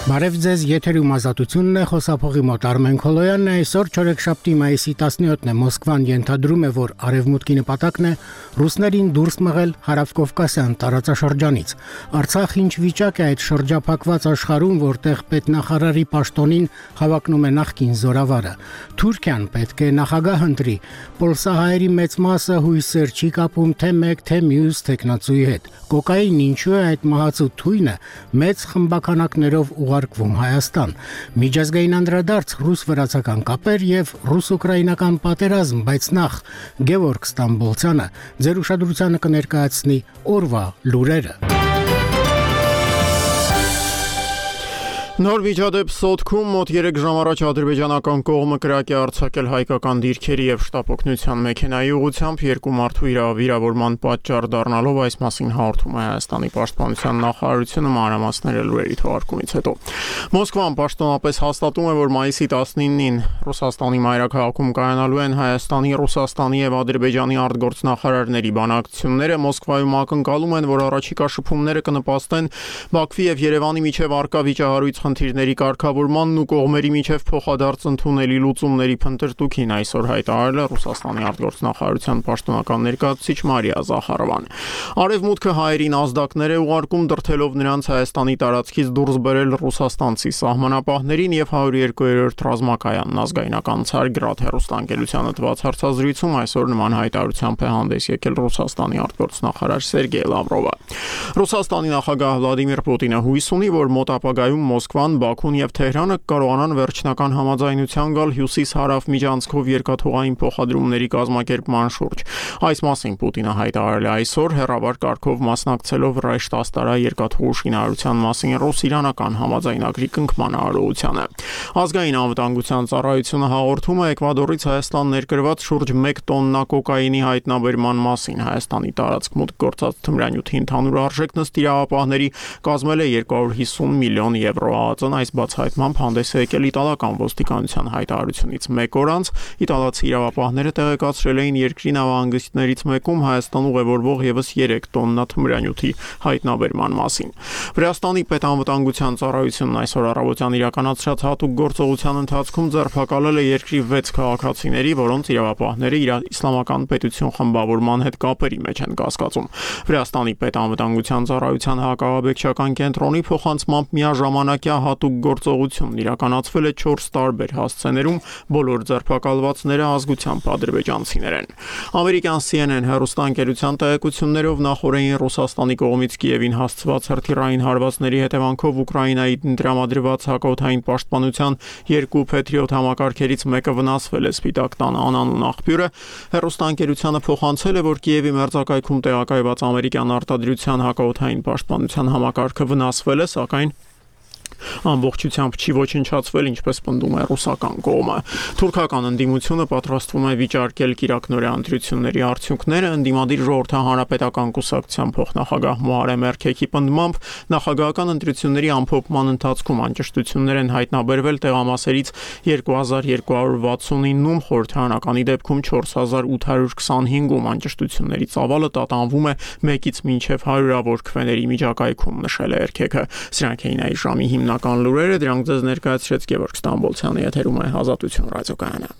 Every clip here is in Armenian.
Բարև ձեզ, եթերում ազատությունն է, խոսափողի մոտ Արմեն Քոլոյանն է, այսօր չորեքշաբթի մայիսի 17-ն է, Մոսկվան ենթադրում է, որ արևմուտքի նպատակն է ռուսներին դուրս մղել հարավկովկասյան տարածաշրջանից։ Արցախ ինչ վիճակ է այդ շրջափակված աշխարհում, որտեղ պետնախարարի պաշտոնին հավակնում է նախկին զորավարը։ Թուրքիան պետք է նախագահ ընտրի, պոլսահայերի մեծ մասը հույսեր չի կապում թե մեկ, թե մյուս թեկնածուի հետ։ Կոկային ինչու է այդ մահացու թույնը մեծ խմբականակներով ուղարկվում Հայաստան։ Միջազգային անդրադարձ ռուս-վրացական կապեր եւ ռուս-ուկրաինական պատերազմ, բայց նախ Գևորգ Ստամբոլցյանը ձեր ուշադրությանը կներկայացնի օրվա լուրերը։ Նոր միջադեպ Սոտքում մոտ 3 ժամ առաջ ադրբեջանական կողմը կրակ է արձակել հայկական դիրքերի եւ շտապօգնության մեքենայի ուղղությամբ երկու մարդու վիրավորման պատճառ դառնալով, այս մասին հաղորդում է Հայաստանի պաշտպանության նախարարությունը մանրամասները լուրերի թողարկումից հետո։ Մոսկվան պաշտոնապես հաստատում է, որ մայիսի 19-ին Ռուսաստանի մայրաքաղաքում կայանալու են Հայաստանի, Ռուսաստանի եւ Ադրբեջանի արտգործնախարարների բանակցությունները։ Մոսկվայում ակնկալում են, որ առաջիկա շփումները կնպաստեն Բաքվի եւ Երևանի միջև առկա վիճահարույց խնդիրների կարգավորմանն ու կողմերի միջև փոխադարձ ընդունելի լուծումների փնտրտուքին, այսօր հայտարարել է Ռուսաստանի արտգործնախարարության պաշտոնական ներկայացուցիչ Մարիա Զախարովան։ Արևմուտքը հայերին ազդակներ է ուղարկում, դրդելով նրանց Հայաստանի տարածքից դուրս բերել ռուսաստանցի սահմանապահներին եւ 102-րդ ռազմակայանն ազգայնական Ցարգրադ հեռուստաընկերությանը տված հարցազրույցում այսօր նման հայտարարությամբ է հանդես եկել Ռուսաստանի արտգործնախարար Սերգեյ Լավրովը։ Ռուսաստանի նախագահ Վլադիմիր Պուտինը հույս ունի, որ մոտ ապագայում Մոսկվան, Բաքուն եւ Թեհրանը կարողանան վերջնական համաձայնության գալ հյուսիս-հարավ միջանցքով երկաթուղային փոխադրումների կազմակերպման շուրջ։ Այս մասին Պուտինը հայտարարել է այսօր հեռավար կարգով մասնակցելով Ռայշտաստարա երկաթուղու շինարարության մասին ռուս-իրանական համաձայնագրի կնքման արարողությանը։ Ազգային անվտանգության ծառայությունը հաղորդում է Էկվադորից Հայաստան ներկրված շուրջ 1 տոննա կոկայինի հայտնաբերման մասին։ Հայաստանի տարածք մուտք գործած թմրանյութի ընդհանուր արժեքն ըստ իրավապահների կազմել է 250 միլիոն եվրո։ ԱԱԾ-ն այս բացահայտմամբ հանդես է եկել իտալական ոստիկանության հայտարարությունից մեկ օր անց։ Իտալացի իրավապահները տեղեկացրել էին երկրի նավահանգիստներից մեկում Հայաստան ուղևորվող եւս 3 տոննա թմրանյութի հայտնաբերման մասին։ Վրաստանի պետանվտանգության ծառայությունն այսօր առավոտյան իրականացրած հատուկ գործողության ընթացքում ձերբակալել է երկրի 6 քաղաքացիների, որոնց իրավապահները իսլամական պետություն խմբավորման հետ կապերի մեջ են կասկածում։ Վրաստանի պետանվտանգության ծառայության հակահաբեկչական կենտրոնի փոխանցմամբ միաժամանակյա հատուկ գործողությունն իրականացվել է 4 տարբեր հասցեներում, բոլոր ձերբակալվածները ազգությամբ ադրբեջանցիներ են։ Ամերիկյան CNN հեռուստաընկերության տեղեկություններով նախորդին Ռուսաստանի կողմից Կիևին հասցված հրթիռային հարվածների հետևանքով Ուկրաինայի տրամադրված հակօդային պաշտպանության 2 Patriot համակարգերից մեկը վնասվել է։ Սպիտակ տան անանուն աղբյուրը հեռուստաընկերությանը փոխանցել է, որ Կիևի մերձակայքում տեղակայված ամերիկյան արտադրության հակօդային պաշտպանության համակարգը վնասվել է, սակայն ամբողջությամբ չի ոչնչացվել, ինչպես պնդում է ռուսական կողմը։ Թուրքական ընդդիմությունը պատրաստվում է վիճարկել կիրակնօրյա ընտրությունների արդյունքները։ Ընդդիմադիր ժողովրդահանրապետական կուսակցության փոխնախագահ Մոհարեմ Էրքեքի պնդմամբ նախագահական ընտրությունների ամփոփման ընթացքում անճշտություններ են հայտնաբերվել տեղամասերից 2269-ում, խորհրդարանականի դեպքում 4825-ում անճշտությունների ծավալը տատանվում է 1-ից մինչև 100-ավոր քվեների միջակայքում, նշել է Էրքեքը։ Սրանք էին այս ժամի հիմնական լուրերը, դրանք ձեզ ներկայացրեց Գևորգ Ստամբոլցյանը, եթերում է Ազատություն ռադիոկայանը։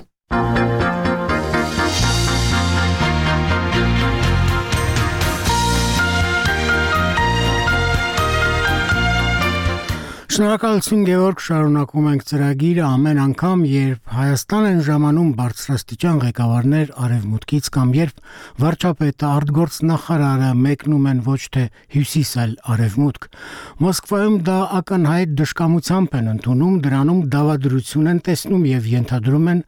Շնորհակալություն Գևորգ, շարունակում ենք ծրագիրը ամեն անգամ, երբ Հայաստան են ժամանում բարձրաստիճան ղեկավարներ արևմուտքից կամ երբ վարչապետը, արտգործնախարարը մեկնում են ոչ թե հյուսիս, այլ արևմուտք։ Մոսկվայում դա ակնհայտ դժկամությամբ են ընդունում, դրանում դավադրություն են տեսնում եւ ենթադրում են,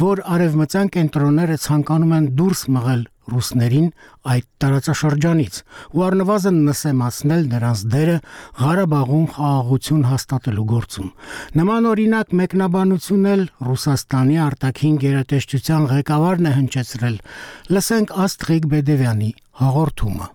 որ արևմտյան կենտրոնները ցանկանում են դուրս մղել ռուսներին այդ տարածաշրջանից ու առնվազն նսեմացնել նրանց դերը Ղարաբաղում խաղաղություն հաստատելու գործում։ Նման օրինակ մեկնաբանություն էլ Ռուսաստանի արտաքին գերատեսչության ղեկավարն է հնչեցրել։ Լսենք Աստրիկ Բեդևյանի հաղորդումը։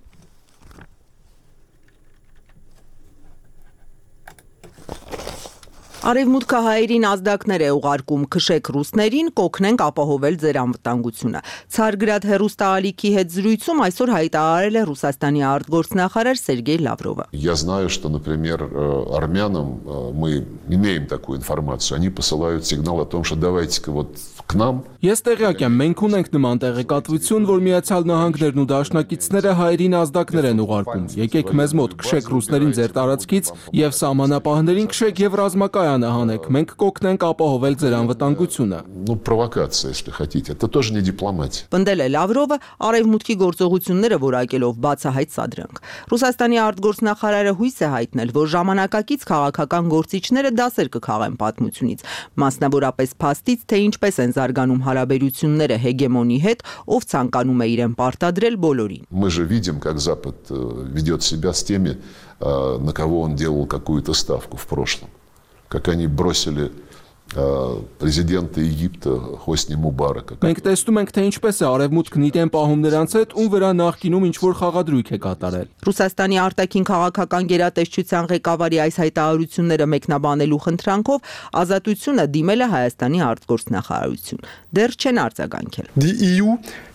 Արևմուտքահայերին ազդակներ է ուղարկում, քշեք ռուսներին, կօգնենք ապահովել ձեր անվտանգությունը։ Ցարգրադ հեռուստաալիքի հետ զրույցում այսօր հայտարարել է Ռուսաստանի արտգործնախարար Սերգեյ Լավրովը։ Я знаю, что, например, армянам мы имеем такую информацию, они посылают сигнал о том, что давайте-ка вот к нам. Ես տեղյակ եմ, մենք ունենք նման տեղեկատվություն, որ Միացյալ Նահանգներն ու դաշնակիցները հայերին ազդակներ են ուղարկում։ Եկեք մեզ մոտ, քշեք ռուսներին ձեր տարածքից եւ սահմանապահներին քշեք եւ ռազմակայանը հանեք։ Մենք կօգնենք ապահովել ձեր անվտանգությունը։ Ну, провокация, если хотите. Это тоже не дипломатия. Պնդել է Լավրովը արևմուտքի գործողությունները որակելով բացահայտ սադրանք։ Ռուսաստանի արտգործնախարարը հույս է հայտնել, որ ժամանակակից քաղաքական գործիչները դասեր կքաղեն պատմությունից, մասնավորապես փաստից, թե ինչպես են զարգանում հարաբերությունները հեգեմոնի հետ, ով ցանկանում է իրեն պարտադրել բոլորին։ Мы же видим, как Запад ведет себя с теми, на кого он делал какую-то ставку в прошлом. Как они бросили президента Египта Хосни Мубарака. Մենք տեսնում ենք, թե ինչպես է արևմուտքն իրեն պահում նրանց հետ, ում վրա նախկինում ինչ-որ խաղադրույք է կատարել։ Ռուսաստանի արտաքին քաղաքական գերատեսչության ղեկավարի այս հայտարարությունները մեկնաբանելու խնդրանքով Ազատությունը դիմել է Հայաստանի արտգործնախարարություն։ Դեռ չեն արձագանքել։ The EU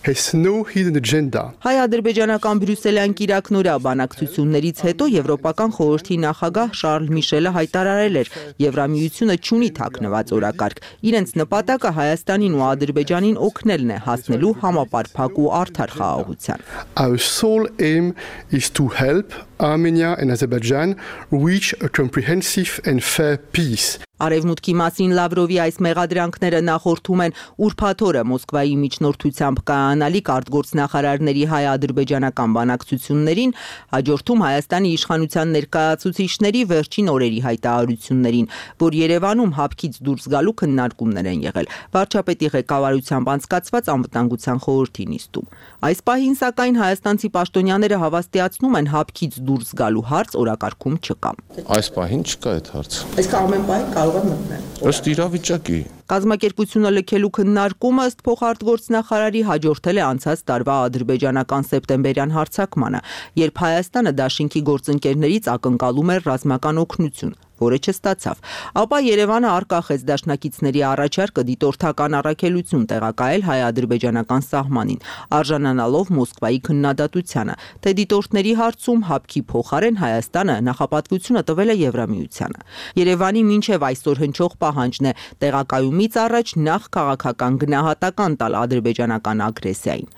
has no hidden agenda. Հայ-ադրբեջանական բրյուսելյան կիրակնորյա բանակցություններից հետո Եվրոպական խորհրդի նախագահ Շարլ Միշելը հայտարարել էր, Եվրամիությունը չունի թաքնված օրակարգ։ Իրենց նպատակը Հայաստանին ու Ադրբեջանին օգնելն է հասնելու համապարփակ ու արդար խաղաղության։ Our sole aim is to help Armenia and Azerbaijan reach a comprehensive and fair peace. Արևմուտքի մասին Լավրովի այս մեղադրանքները նախորդում են ուրբաթ օրը Մոսկվայի միջնորդությամբ կայանալիք արտգործնախարարների հայ-ադրբեջանական բանակցություններին, հաջորդում Հայաստանի իշխանության ներկայացուցիչների վերջին օրերի հայտարարություններին, որ Երևանում հապկից դուրս գալու քննարկումներ են եղել վարչապետի ղեկավարությամբ անցկացված անվտանգության խորհրդի նիստում։ Այս պահին սակայն հայաստանցի պաշտոնյաները հավաստիացնում են հապկից դուրս գալու հարց օրակարգում չկա։ Այս պահին չկա այդ հարցը։ Այսինքն ամեն պահին կարող է մտնել։ Ըստ իրավիճակի։ Կազմակերպությունը լքելու քննարկումը ըստ փոխարտգործնախարարի հաջորդել է անցած տարվա ադրբեջանական սեպտեմբերյան հարձակմանը, երբ Հայաստանը դաշինքի գործընկերներից ակնկալում էր ռազմական օգնություն, որը չստացավ։ Ապա Երևանը արկախեց դաշնակիցների առաջարկը դիտորդական առաքելություն տեղակայել հայ-ադրբեջանական սահմանին, արժանանալով Մոսկվայի քննադատությանը, թե դիտորդների հարցում հապկի փոխարեն Հայաստանը նախապատվությունը տվել է Եվրամիությանը։ Երևանի մինչև այսօր հնչող պահանջն է տեղակայումից առաջ նախ քաղաքական գնահատական տալ ադրբեջանական ագրեսիային։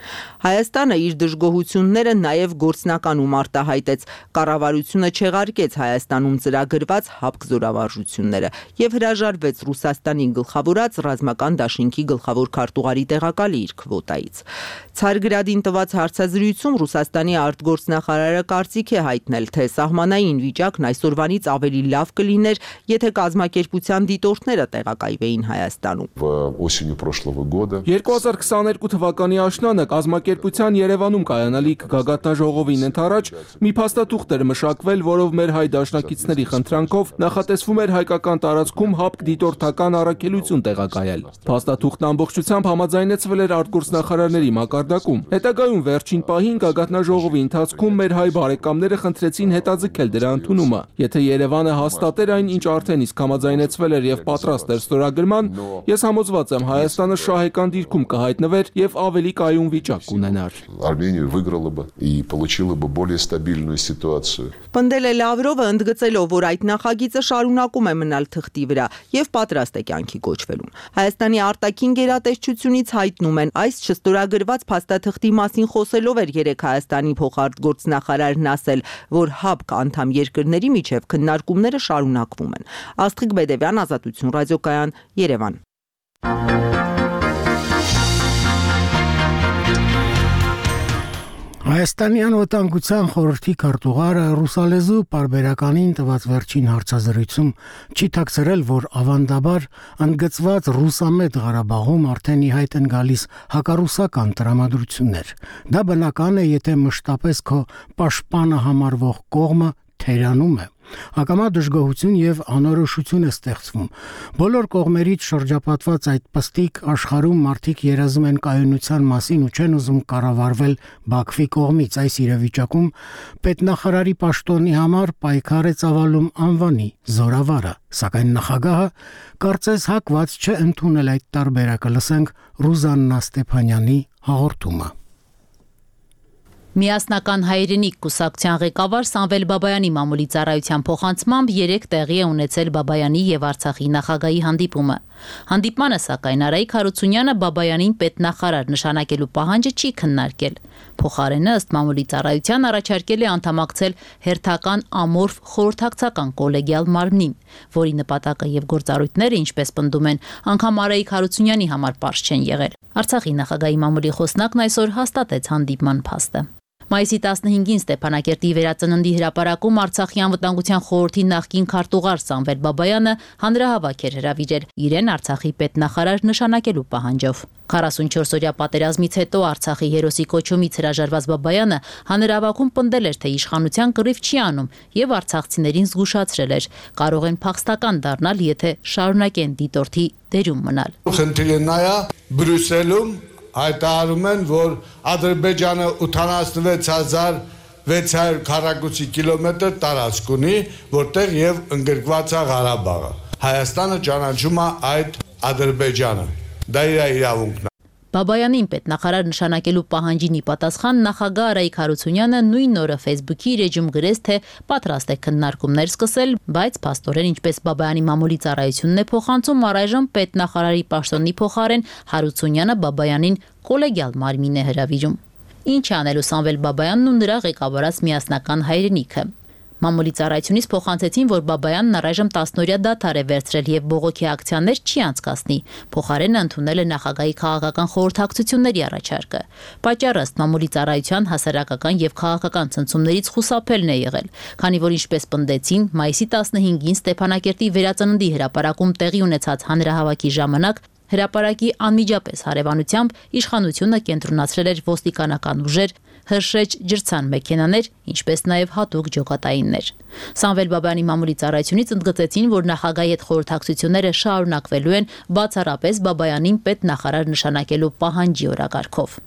Հայաստանը իր դժգոհությունները նաև գործնականում արտահայտեց, կառավարությունը չեղարկեց Հայաստանում ծրագրված հապկ զորավարժությունները եւ հրաժարվեց Ռուսաստանի գլխավորած ռազմական դաշինքի գլխավոր քարտուղարի տեղակալի իր քվոտայից։ Ցարգրադին տված հարցազրույցում Ռուսաստանի արտգործնախարարը կարծիք է հայտնել, թե սահմանային վիճակն այսօրվանից ավելի լավ կլիներ, եթե կազմակերպության դիտորդները տեղակայվեին Հայաստանում։ Осенью прошлого года 2022 թվականի աշնանը կազմակերպության Երևանում կայանալիք գագաթնաժողովին ընդառաջ մի փաստաթուղթ էր մշակվել, որով մեր հայ դաշնակիցների խնդրանքով նախատեսվում էր հայկական տարածքում հապկ դիտորդական առաքելություն տեղակայել։ Փաստաթուղթն ամբողջությամբ համաձայնեցվել էր արտգործնախարարների մակարդակում։ Հետագայում վերջին պահին գագաթնաժողովի ընթացքում մեր հայ բարեկամները խնդրեցին հետաձգել դրա ընդունումը։ Եթե Երևանը հաստատեր այն, ինչ արդեն իսկ համաձայնեցվել էր եւ պատրաստ էր ստորագրման, ես համոզված եմ Հայաստանը շահեկան դիրքում կհայտնվեր եւ ավելի կայուն վիճակ կունենար։ Армения выиграла бы и получила бы более стабильную ситуацию. Պնդել է Լավրովը, ընդգծելով, որ այդ նախագիծը շարունակում է մնալ թղթի վրա եւ պատրաստ է կյանքի կոչվելուն։ Հայաստանի արտաքին գերատեսչությունից հայտնում են, այս չստորագրված փաստաթղթի մասին խոսելով էր երեք Հայաստանի փոխարտգործնախարարն ասել, որ հապկ անդամ երկրների միջև քննարկումները շարունակվում են։ Աստղիկ Բեդևյան, Ազատություն ռադիոկայան, Երևան։ Հայաստանի անվտանգության խորհրդի քարտուղարը ռուսալեզու պարբերականին տված վերջին հարցազրույցում չի թաքցրել, որ ավանդաբար ընդգծված ռուսամետ Ղարաբաղում արդեն ի հայտ են գալիս հակառուսական տրամադրություններ։ Դա բնական է, եթե մշտապես քո պաշտպանը համարվող կողմը թերանում է։ Ակամա դժգոհություն եւ անորոշություն է ստեղծվում։ Բոլոր կողմերից շրջապատված այդ պստիկ աշխարհում մարդիկ երազում են կայունության մասին ու չեն ուզում կառավարվել Բաքվի կողմից։ Այս իրավիճակում պետնախարարի պաշտոնի համար պայքար է ծավալում անվանի զորավարը, սակայն նախագահը կարծես հակված չէ ընդունել այդ տարբերակը։ Լսենք Ռուզաննա Ստեփանյանի հաղորդումը։ Միասնական հայրենիք կուսակցության ղեկավար Սամվել Բաբայանի մամուլի ծառայության փոխանցմամբ 3 տեղի է ունեցել Բաբայանի եւ Արցախի նախագահի հանդիպումը։ Հանդիպմանը սակայն Արայիկ Հարությունյանը Բաբայանին պետնախարար նշանակելու պահանջը չի քննարկել։ Փոխարենը ըստ մամուլի ծառայության առաջարկել է անդամակցել հերթական ամորֆ խորհրդակցական կոլեգիալ մարմնին, որի նպատակը եւ գործառույթները, ինչպես պնդում են, անգամ Արայիկ Հարությունյանի համար պարզ չեն եղել։ Արցախի նախագահի մամուլի խոսնակն այսօր հաստատեց հանդիպման փաստը։ Մայիսի 15-ին Ստեփանակերտի վերածննդի հրապարակում Արցախի անվտանգության խորհրդի նախկին քարտուղար Սամվել Բաբայանը հանրահավաք էր հրավիրել իրեն Արցախի պետնախարար նշանակելու պահանջով։ 44-օրյա պատերազմից հետո Արցախի հերոսի կոչումից հրաժարված Բաբայանը հանրահավաքում պնդել էր, թե իշխանության կռիվ չի անում եւ արցախցիներին զգուշացրել էր. կարող են փախստական դառնալ, եթե շարունակեն դիտորդի դերում մնալ։ Խնդիրը նա է Բրյուսելում հայտարարում են, որ Ադրբեջանը 86600 քառակուսի կիլոմետր տարածք ունի, որտեղ եւ ընդգրկված է Ղարաբաղը։ Հայաստանը ճանաչում է այդ Ադրբեջանը։ Դա իր իրավունքն է։ Բաբայանին պետնախարար նշանակելու պահանջին ի պատասխան նախագահ Արայիկ Հարությունյանը նույն օրը Facebook-ի իր էջում գրեց, թե պատրաստ է քննարկումներ սկսել, բայց փաստորեն ինչպես Բաբայանի մամուլի ծառայությունն է փոխանցում, առայժմ պետնախարարի պաշտոնի փոխարեն Հարությունյանը Բաբայանին կոլեգիալ մարմին է հրավիրում։ Ինչ անելու Սամվել Բաբայանն ու նրա ղեկավարած միասնական հայրենիքը։ Մամուլի ծառայությունից փոխանցեցին, որ Բաբայանն առայժմ 10-օրյա դադար է վերցրել եւ բողոքի ակցիաներ չի անցկացնի։ Փոխարենը ընդունել է նախագահի քաղաքական խորհրդակցությունների առաջարկը։ Պատճառը ըստ մամուլի ծառայության հասարակական եւ քաղաքական ցնցումներից խուսափելն է եղել, քանի որ ինչպես պնդեցին, մայիսի 15-ին Ստեփանակերտի վերածննդի հրապարակում տեղի ունեցած հանրահավաքի ժամանակ հրապարակի անմիջապես հարևանությամբ իշխանությունը կենտրոնացրել էր ոստիկանական ուժեր, հրշեջ ջրցան մեքենաներ, ինչպես նաև հատուկ ջոկատայիններ։ Սամվել Բաբայանի մամուլի ծառայությունից ընդգծեցին, որ նախագահի հետ խորհրդակցությունները շարունակվելու են բացառապես Բաբայանին պետնախարար նշանակելու պահանջի օրակարգով։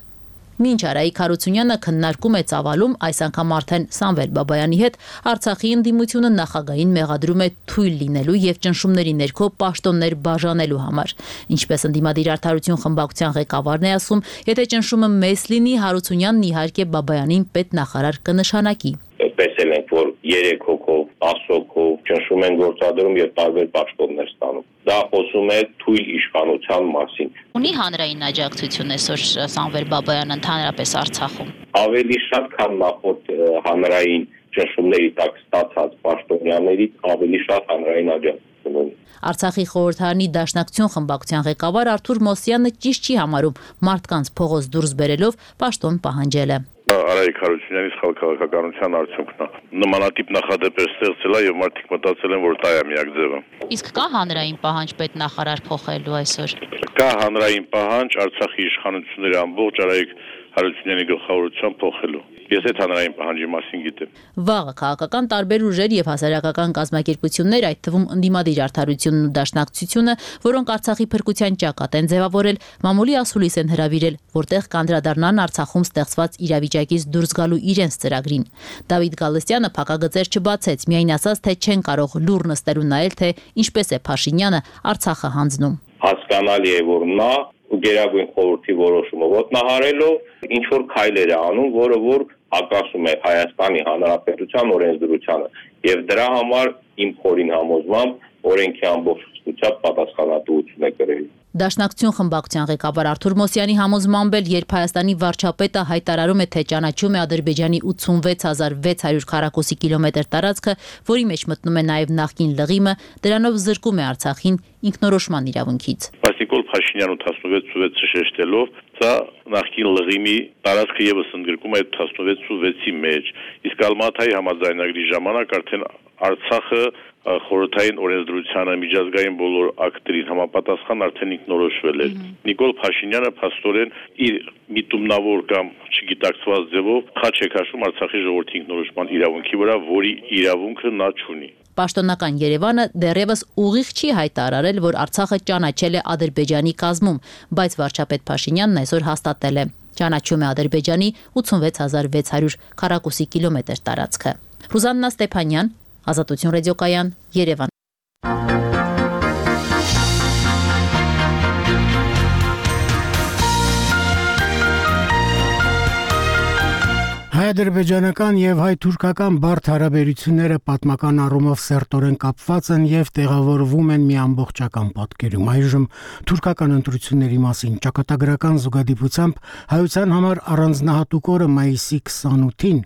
Մինչ Արայիկ Հարությունյանը քննարկում է ծավալում այս անգամ արդեն Սամվել Բաբայանի հետ Արցախի ընդդիմությունը նախագահին մեղադրում է թույլ լինելու եւ ճնշումների ներքո պաշտոններ բաժանելու համար։ Ինչպես ընդդիմադիր արդարություն խմբակցության ղեկավարն է ասում, եթե ճնշումը մեծ լինի, Հարությունյանն իհարկե Բաբայանին պետնախարար կնշանակի։ Տեսել ենք, որ 3 հոգով, 10 հոգով ճնշում են գործադրում եւ տարբեր պաշտոններ ստանում։ Դա խոսում է թույլ իշխանության մասին։ Ունի հանրային աջակցություն այսօր Սամվել Բաբայանը ընդհանրապես Արցախում։ Ավելի շատ, քան նախորդ հանրային ճնշումների տակ ստացած պաշտոնյաներից ավելի շատ հանրային աջակցություն ունի։ Արցախի խորհրդարանի Դաշնակցություն խմբակցության ղեկավար Արթուր Մոսյանը ճիշտ չի համարում մարդկանց փողոց դուրս բերելով պաշտոն պահանջելը։ Արայիկ Հարությունյանի սխալ քաղաքականության արդյունքն է։ Նմանատիպ նախադեպեր ստեղծել է եւ մարդիկ մտածել են, որ դա է միակ ձևը։ Իսկ կա հանրային պահանջ պետնախարար փոխելու այսօր։ Կա հանրային պահանջ Արցախի իշխանությունների ամբողջ Արայիկ Հարությունյանի գլխավորությամբ փոխելու։ Ես այդ հանրային պահանջի մասին գիտեմ։ Վաղը քաղաքական տարբեր ուժեր եւ հասարակական կազմակերպություններ, այդ թվում ընդդիմադիր արդարությունն ու Դաշնակցությունը, որոնք Արցախի փրկության ճակատ են ձևավորել, մամուլի ասուլիս են հրավիրել, որտեղ կանդրադառնան Արցախում ստեղծված իրավիճակից դուրս գալու իրենց ծրագրին։ Դավիթ Գալստյանը փակագծեր չբացեց, միայն ասաց, թե չեն կարող լուռ նստել ու նայել, թե ինչպես է Փաշինյանը Արցախը հանձնում։ Հասկանալի է, որ նա Գերագույն խորհրդի որոշումը ոտնահարելով ինչ որ քայլեր է անում, որը որ հակասում է Հայաստանի Հանրապետության օրենսդրությանը եւ դրա համար իմ խորին համոզմամբ օրենքի ամբողջությամբ պատասխանատվություն է կրել։ Դաշնակցություն խմբակցության ղեկավար Արթուր Մոսյանի համոզմամբ էլ, երբ Հայաստանի վարչապետը հայտարարում է, թե ճանաչում է Ադրբեջանի 86600 քառակուսի կիլոմետր տարածքը, որի մեջ մտնում է նաև նախկին լղիմը, դրանով զրկում է Արցախին ինքնորոշման իրավունքից։ Նիկոլ Փաշինյանը 16-6 շեշտելով, սա նախկին լղիմի տարածքը եւս ընդգրկում է 16-6-ի մեջ։ Իսկ Ալմաթայի համաձայնագրի ժամանակ արդեն Արցախը խորհրդային օրենսդրությանը միջազգային բոլոր ակտերին համապատասխան արդեն ինքնորոշվել էր։ Նիկոլ Փաշինյանը փաստորեն իր միտումնավոր կամ չգիտակցված ձևով խաչ է քաշում Արցախի ժողովրդի ինքնորոշման իրավունքի վրա, որի իրավունքը նա չունի։ Պաշտոնական Երևանը դեռևս ուղիղ չի հայտարարել, որ Արցախը ճանաչել է Ադրբեջանի կազմում, բայց վարչապետ Փաշինյանն այսօր հաստատել է. ճանաչում է Ադրբեջանի 86600 քառակուսի կիլոմետր տարածքը։ Ռուզաննա Ստեփանյան, Ազատություն ռադիոկայան, Երևան։ Հայ-ադրբեջանական եւ հայ-թուրքական բարդ հարաբերությունները պատմական առումով սերտորեն կապված են եւ տեղավորվում են մի ամբողջական պատկերում։ Այժմ թուրքական ընտրությունների մասին ճակատագրական զուգադիպությամբ հայության համար առանձնահատուկ օրը մայիսի 28-ին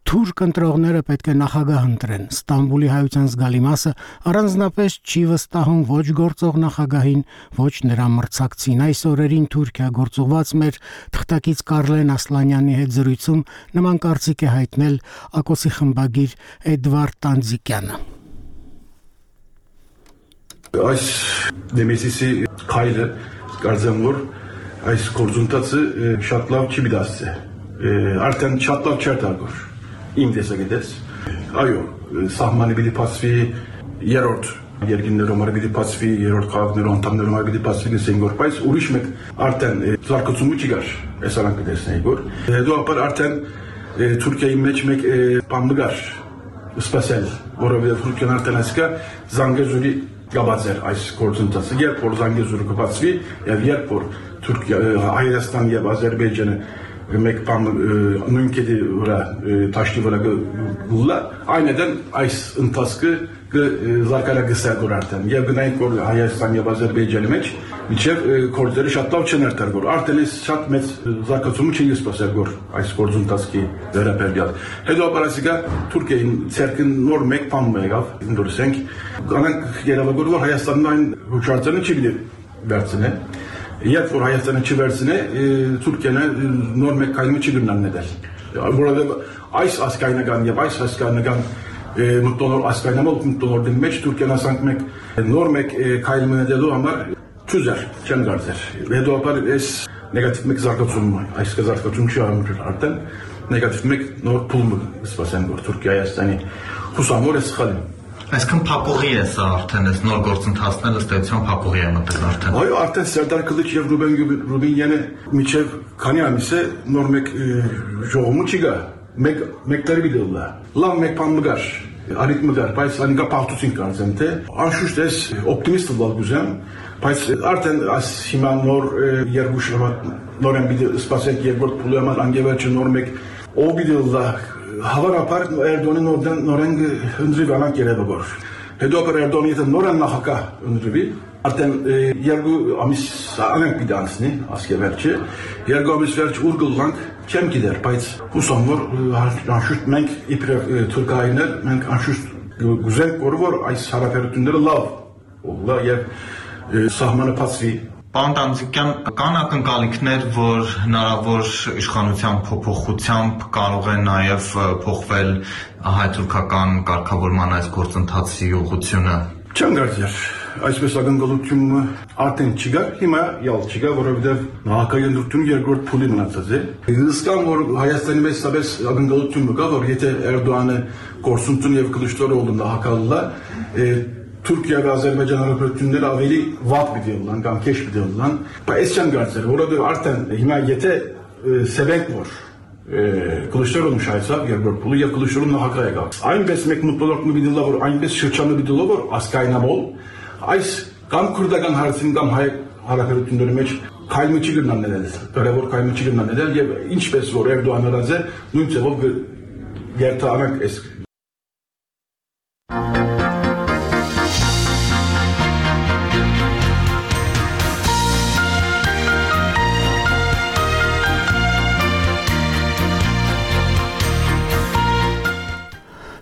թուրք ընտրողները պետք է նախագահ ընտրեն։ Ստամբուլի հայության զգալի մասը առանձնապես չի վստահում ոչ գործող նախագահին, ոչ նրա մրցակցին։ Այս օրերին Թուրքիա գործուղված մեր թղթակից Կարլեն Ասլանյանի հետ զրույցում նման կարծիք է հայտնել ԱԿՕՍ-ի խմբագիր Էդվարդ Տանձիկյանը։ Այս դեմեսիսի քայլը կարծեմ որ այս գործընթացը շատ լավ չի դասը։ Արդեն շատ լավ չէ դարձել։ Իմ տեսակետից այո սահմանը պիտի փոխվի երրորդ երկիններում պիտի փոխվի երրորդ քաղաքներում անդամներում պիտի փոխվի գսենք որ բայց ուրիշ մեկ արդեն զարգացումը չի գար այս արանքը տեսնենք որ հետո արդեն Թուրքիայի մեջ մեկ բան գար սպասել որովհետև Թուրքիան արդեն ասկա Զանգեզուրի գաբացեր այս գործընթացը երբ որ Զանգեզուրը կբացվի եւ երբ որ Թուրքիա Հայաստան եւ Ադրբեջանը մեկ բան նույն կետի վրա տաշտի վրա գուլա այնედან այս ընթացքը զարգալագսել գոր արդեն եւ գնային որ Հայաստան եւ Ադրբեջանի մեջ միջև կորձերը շատ լավ չեն արտարգոր արդեն էս շատ մեծ զարգացում չի սպասել գոր այս գործընթացի վերաբերյալ հետո ապարասիկա Թուրքիային ցերկին նոր մեկ բան եղավ ընդորսենք կանանք երևակոր որ Հայաստանն այն հուշարձանը չի վերցնե Երբ որ Հայաստանը չվերցնե, Թուրքիան նոր մեկ կայմը չի գնան նել։ Որովհետև այս ասկայնական եւ այս ասկայնական մտոնոր ասկայնամոլ մտոնորդի մեջ Թուրքիան ասանք մեկ նոր մեկ կայմը նելու համար ճուզեր չեն գարցեր։ Հետո ապար այս նեգատիվ մեկ զարգացում, այս զարգացում չի ամրել արդեն նեգատիվ մեկ նոր փուլ սպասեն որ Թուրքիա Հայաստանի հուսամոր է սխալի։ Այսքան փակուղի է սա արդեն այս նոր գործընթացն ըստ էության փակուղի է մտել արդեն։ Այո, արդեն Սերդար Քլիչ եւ Ռուբինյանը միջև քանի ամիս է նոր մեկ ժողովում չի գա։ Մեկ տարի դիլա։ Լավ մեկ բան մգար։ Արիտ մգար, բայց անգա պարտություն կանցեմ թե անշուշտ էս օպտիմիստ լավ գուզեմ, բայց արդեն այս հիմա նոր երկու շաբաթ նորեն բիդի սպասենք երկրորդ փուլի համար անգևերջը նոր մեկ ով բիդիլա Հավանաբար Էրդոնի նորեն ընդրիվ անանք երևավոր։ Հետո ապար Էրդոնի եթե նորեն նախագահ ընդրիվի, արդեն երկու ամիս անենք պիտի անցնի, ասկևերջը, երկու ամիս վերջ ուր գլանք չեմ գիտեր, բայց հուսամ որ անշուշտ մենք իբրև թուրքայիններ, մենք անշուշտ գուզենք որ այս հարաբերությունները լավ եւ սահմանը փոխվի Պարոն Տանձիկյան, կան ակնկալիքներ, որ հնարավոր իշխանության փոփոխությամբ կարող է նաև փոխվել հայ-թուրքական կարգավորման այս գործընթացի ուղղությունը։ Չեմ կարծեր, այսպես ակնկալությունը արդեն չկա, հիմա յալ չկա, որովհետև նախագահի ընտրությունը երկրորդ փուլի մնացած է։ Հսկան որ Հայաստանի մեջ սաբես ակնկալություն կա, որ եթե Էրդողանը գործունեություն եւ Կլիշտորովը նախագահը Թուրքիա եւ Ադրբեջան հարաբերությունները ավելի վատ պիտի լինեն կամ քեշ պիտի լինեն, բայց չեմ կարծել, որովհետեւ արդեն հիմա եթե սեվենք որ Կլիշտորովը շայցավ երկրորդ փուլի եւ Կլիշտորովը նախագահ եկավ։ Այնպես մեկ մտորակն պիտի լինի, որ այնպես շրջանը պիտի լինի, որ ասկայնամոլ այս կամ քուրդական հարցին կամ հայ հարաբերությունների մեջ քայլը չի գնանել, դեռևոր քայլը չի գնանել եւ ինչպես որ Էրդողանը ռազե նույն ձևով երթանանք այս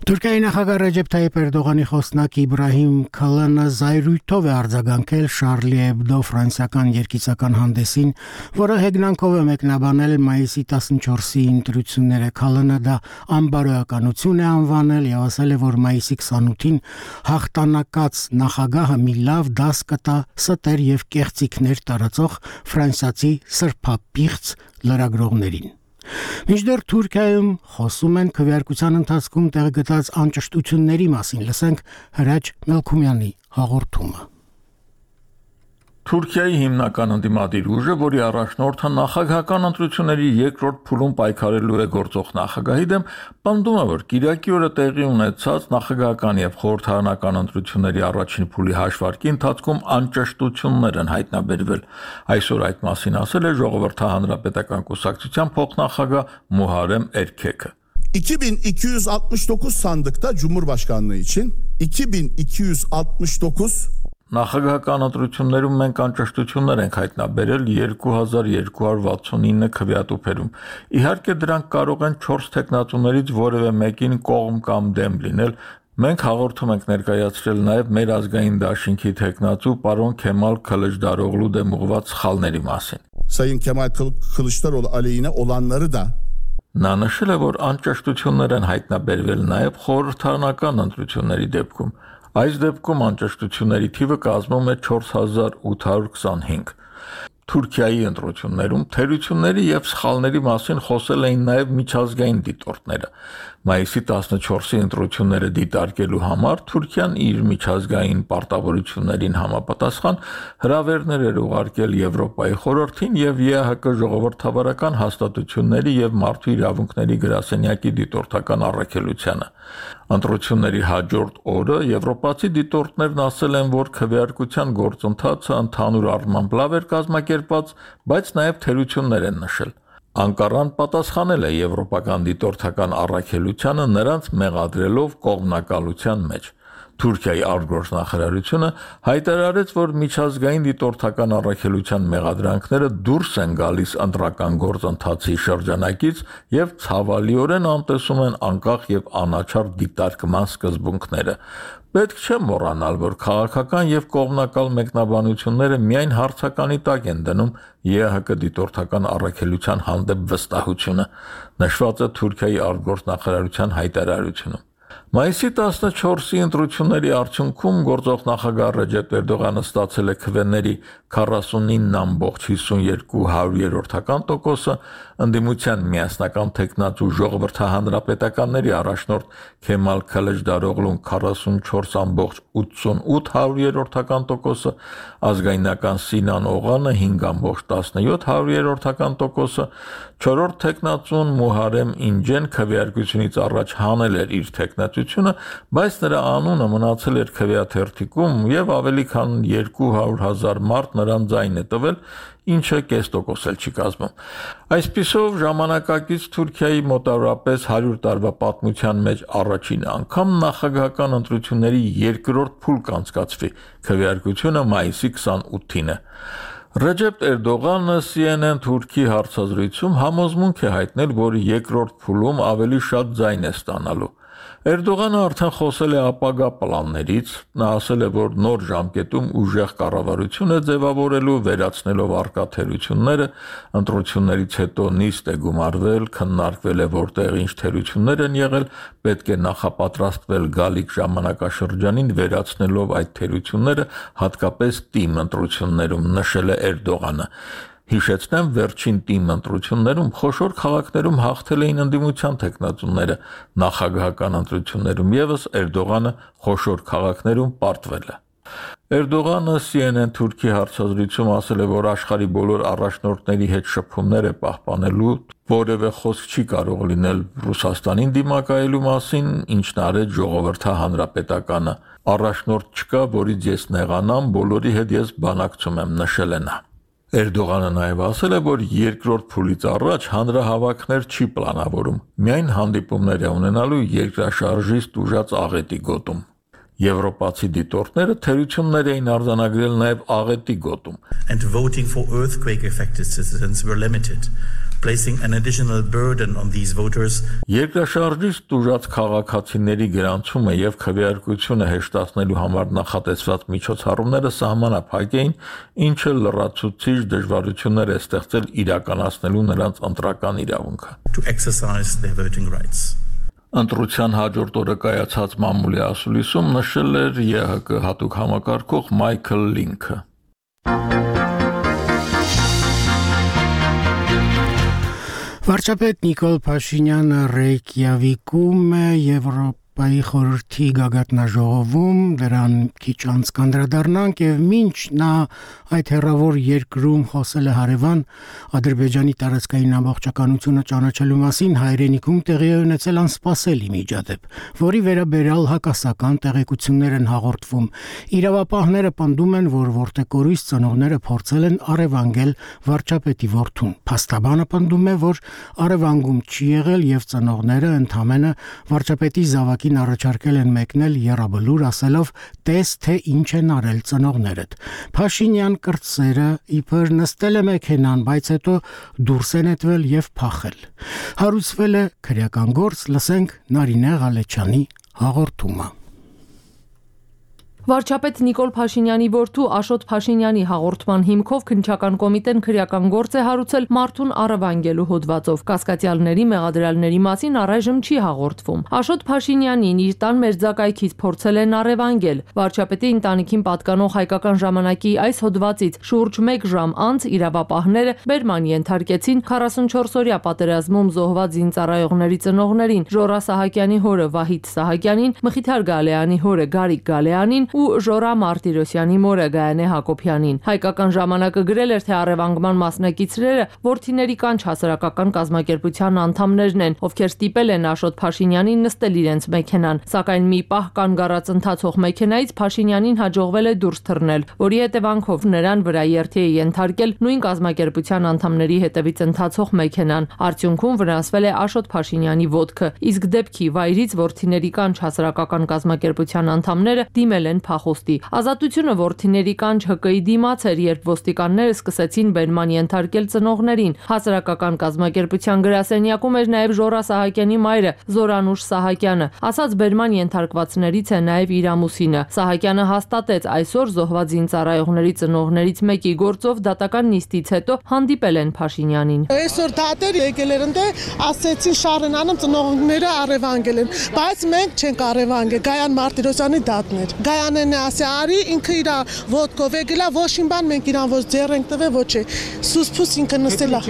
Թուրքիայի նախագահ Ռեջեփ Թայիփ Էրդողանի խոսնակ Իբրահիմ Քալանը զայրույթով է արձագանքել Շարլի Էբդո ֆրանսիական երգիծական հանդեսին, որը հեգնանքով է մեկնաբանել մայիսի 14-ի ընտրությունները։ Քալանը դա անբարոյականություն է անվանել եւ ասել է, որ մայիսի 28-ին հաղթանակած նախագահը մի լավ դաս կտա ստեր եւ կեղծիքներ տարածող ֆրանսիացի սրբապիղծ լրագրողներին։ Մինչդեռ Թուրքիայում խոսում են քվեարկության ընթացքում տեղգտած անճշտությունների մասին, լսենք Հրաչ Մելքումյանի հաղորդումը։ Թուրքիայի հիմնական ընդդիմադիր ուժը, որի առաջնորդը նախագահական ընտրությունների երկրորդ փուլում պայքարելու է գործող նախագահի դեմ, պնդում է, որ կիրակի օրը տեղի ունեցած նախագահական եւ խորհրդարանական ընտրությունների առաջին փուլի հաշվարկի ընթացքում անճշտություններ են հայտնաբերվել։ Այսօր այդ մասին ասել է Ժողովրդի հանրապետական կուսակցության փոխնախագահ Muharrem Erkek. 2269 sandıkta Cumhurbaşkanlığı için 2269 Նախագահական ընտրություններում մենք անճշտություններ ենք հայտնաբերել 2269 քվեատուփերում։ Իհարկե դրանք կարող են 4 տեխնատուներից որևէ մեկին կողմ կամ դեմ լինել։ Մենք հաղորդում ենք ներկայացրել նաև մեր ազգային դաշինքի տեխնատու պարոն Քեմալ Քılıçdaroğlu դեմ ուղղված սխալների մասին։ Sayın Kemal Kılıçdaroğlu aleyhine olanları da Նա նշել է, որ անճշտություններ են հայտնաբերվել նաև խորհրդարանական ընտրությունների դեպքում։ Այս դեպքում անճշտությունների թիվը կազմում է 4825։ Թուրքիայի ընտրություններում թերությունների եւ սխալների մասին խոսել էին նաև միջազգային դիտորդները։ Մայիսի 14-ի ընտրությունները դիտարկելու համար Թուրքիան իր միջազգային պարտավորություններին համապատասխան հրավերներ էր ուղարկել Եվրոպայի խորհրդին եւ ԵԱՀԿ ժողովրդավարական հաստատությունների եւ մարդու իրավունքների գրասենյակի դիտորդական առաքելությանը։ Ընտրությունների հաջորդ օրը եվրոպացի դիտորդներն ասել են, որ քվեարկության գործընթացը ընդհանուր առմամբ լավ էր կազմակերպված, բայց նաև թերություններ են նշել։ Անկարան պատասխանել է եվրոպական դիտորդական առաքելությանը նրանց մեղադրելով կողմնակալության մեջ։ Թուրքիայի արտգործնախարարությունը հայտարարեց, որ միջազգային դիտորդական առաքելության մեղադրանքները դուրս են գալիս ընտրական գործընթացի շրջանակից եւ ցավալիորեն անտեսում են անկախ եւ անաչառ դիտարկման սկզբունքները։ Պետք չէ մոռանալ, որ քաղաքական եւ կողմնակալ մեկնաբանությունները միայն հարցականի տակ են դնում ԵԱՀԿ դիտորդական առաքելության հանդեպ վստահությունը, նշված է Թուրքիայի արտգործնախարարության հայտարարությունում։ Մայիսի 14-ի ընտրությունների արդյունքում գործող նախագահ Ռեջեփ Էրդողանը ստացել է քվեների 49.52%, ընդդիմության միասնական տեխնատու Ժողովրդի հանրապետականների առաջնորդ Քեմալ Քılıçdaroğlu'n 44.88%, ազգայնական Սինան Օղանը 5.17%, չորրորդ տեխնատուն Muharrem Ինջեն քվեարկությունից առաջ հանել էր իր տեխնատությունը, բայց նրա անունը մնացել էր քվեաթերթիկում եւ ավելի քան 200,000 մարդ նրան ձայն է տվել, ինչը կես տոկոս էլ չի կազմում։ Այսպիսով ժամանակակից Թուրքիայի մոտավորապես 100 տարվա պատմության մեջ առաջին անգամ նախագահական ընտրությունների երկրորդ փուլ կանցկացվի, քվեարկությունը մայիսի 28-ին է։ Ռեջեփ Էրդողանը CNN Թուրքի հարցազրույցում համոզմունք է հայտնել, որ երկրորդ փուլում ավելի շատ ձայն է ստանալու։ Էրդողանը արդեն խոսել է ապագա պլաններից, նա ասել է, որ նոր ժամկետում ուժեղ կառավարություն է ձևավորելու, վերացնելով արկա թերությունները, ընտրություններից հետո նիստ է գումարվել, քննարկվել է որտեղ ինչ թերություններ են եղել, պետք է նախապատրաստվել գալիք ժամանակաշրջանին, վերացնելով այդ թերությունները, հատկապես թիմ ընտրություններում, նշել է Էրդողանը։ Հիշեցնեմ, վերջին թիմ ընտրություններում խոշոր քաղաքներում հաղթել էին ընդդիմության տեխնատուները, նախագահական ընտրություններում եւս Էրդողանը խոշոր քաղաքներում պարտվել է։ Էրդողանը CNN Թուրքի հարցազրույցում ասել է, որ աշխարհի բոլոր առաջնորդների հետ շփումներ է պահպանելու, որևէ խոսք չի կարող լինել Ռուսաստանին դիմակայելու մասին, ինչն արեց Ժողովրդի հանրապետականը։ Առաջնորդ չկա, որից ես նեղանամ, բոլորի հետ ես բանակցում եմ, նշել է նա։ Էրդողանը նաև ասել է, որ երկրորդ փուլից առաջ հանրահավաքներ չի պլանավորում, միայն հանդիպումներ է ունենալու երկրաշարժից տուժած աղետի գոտում։ Եվրոպացի դիտորդները թերություններ էին արձանագրել նաև աղետի գոտում։ And voting for earthquake affected citizens were limited, placing an additional burden on these voters. Երկրաշարժից տուժած քաղաքացիների գրանցումը եւ քվեարկությունը հեշտացնելու համար նախատեսված միջոցառումները սահմանափակ էին, ինչը լրացուցիչ դժվարություններ է ստեղծել իրականացնելու նրանց ընտրական իրավունքը։ To exercise their voting rights. Ընտրության հաջորդ օրը կայացած մամուլի ասուլիսում նշել էր ԵՀԿ հատուկ համակարգող Մայքլ Լինքը։ Վարչապետ Նիկոլ Փաշինյանը Ռեյկյավիկում Եվրոպայի խորհրդի գագաթնաժողովում դրան քիչ անց կանդրադառնանք եւ մինչ նա այդ հերավոր երկրում խոսել է հարևան Ադրբեջանի տարածքային ամբողջականությունը ճանաչելու մասին հայրենիքում տեղի է ունեցել անսպասելի միջադեպ, որի վերաբերյալ հակասական տեղեկություններ են հաղորդվում։ Իրավապահները պնդում են, որ որտեղորույս ծնողները փորձել են առևանգել վարչապետի որդուն։ Փաստաբանը պնդում է, որ առևանգում չի եղել եւ ծնողները ընդհանրապես վարչապետի զավակին առաջարկել են մեկնել եռաբլուր ասելով տես թե ինչ են արել ծնողներդ։ Փաշինյան կրտսերը իբր նստել է մեքենան, բայց հետո դուրս է նետվել եւ փախել։ Հարուցվել է քրեական գործ, լսենք Նարինե Ղալեչյանի հաղորդումը։ Վարչապետ Նիկոլ Փաշինյանի որդու Աշոտ Փաշինյանի հաղորդման հիմքով քննչական կոմիտեն քրեական գործ է հարուցել մարդուն առևանգելու հոդվածով։ Կասկածյալների մեղադրյալների մասին առայժմ չի հաղորդվում։ Աշոտ Փաշինյանին իր տան մերձակայքից փորձել են առևանգել։ Վարչապետի ընտանիքին պատկանող հայկական ժամանակի այս հոդվածից շուրջ 1 ժամ անց իրավապահները բերման ենթարկեցին 44-օրյա պատերազմում զոհված զինծառայողների ծնողներին՝ Ժորա Սահակյանի հորը Վահիթ Սահակյանին, Մխիթար Գալեյանի հորը Գարիկ Գալեյանին ու Ժորա Մարտիրոսյանի մորը Գայանե Հակոբյանին։ Հայկական ժամանակը գրել էր, թե առևանգման մասնակիցները որդիների կանչ հասարակական կազմակերպության անդամներն են, ովքեր ստիպել են Աշոտ Փաշինյանին նստել իրենց մեքենան, սակայն մի պահ կանգառած ընթացող մեքենայից Փաշինյանին հաջողվել է դուրս թռնել, որի հետևանքով նրան վրա երթի է ենթարկել նույն կազմակերպության անդամների հետևից ընթացող մեքենան։ Արդյունքում վնասվել է Աշոտ Փաշինյանի ոտքը, իսկ դեպքի վայրից որդիների կանչ հասարակական կազմակերպության անդամները դիմել են փախոստի։ Ազատությունը որդիների կանչ ՀԿ-ի դիմաց էր, երբ ոստիկանները սկսեցին բերման ենթարկել ծնողներին։ Հասարակական կազմակերպության գրասենյակում էր նաև Ժորա Սահակյանի մայրը Զորանուշ Սահակյանը։ Ասաց բերման ենթարկվածներից է նաև իր ամուսինը։ Սահակյանը հաստատեց այսօր զոհված զինծառայողների ծնողներից մեկի գործով դատական նիստից հետո հանդիպել են Փաշինյանին։ Այսօր դատեր եկել են դե ասեցին շարենանում ծնողները առևանգել են, բայց մենք չենք առևանգել, Գայան Մարտիրոսյանի դատն էր։ Գայանն է ասի արի ինքը իր ոտքով եկելա, ոչ իմ բան մենք իրան ոչ ձեռ ենք տվել, ոչ է։ Սուսփուս ինքը նստել է։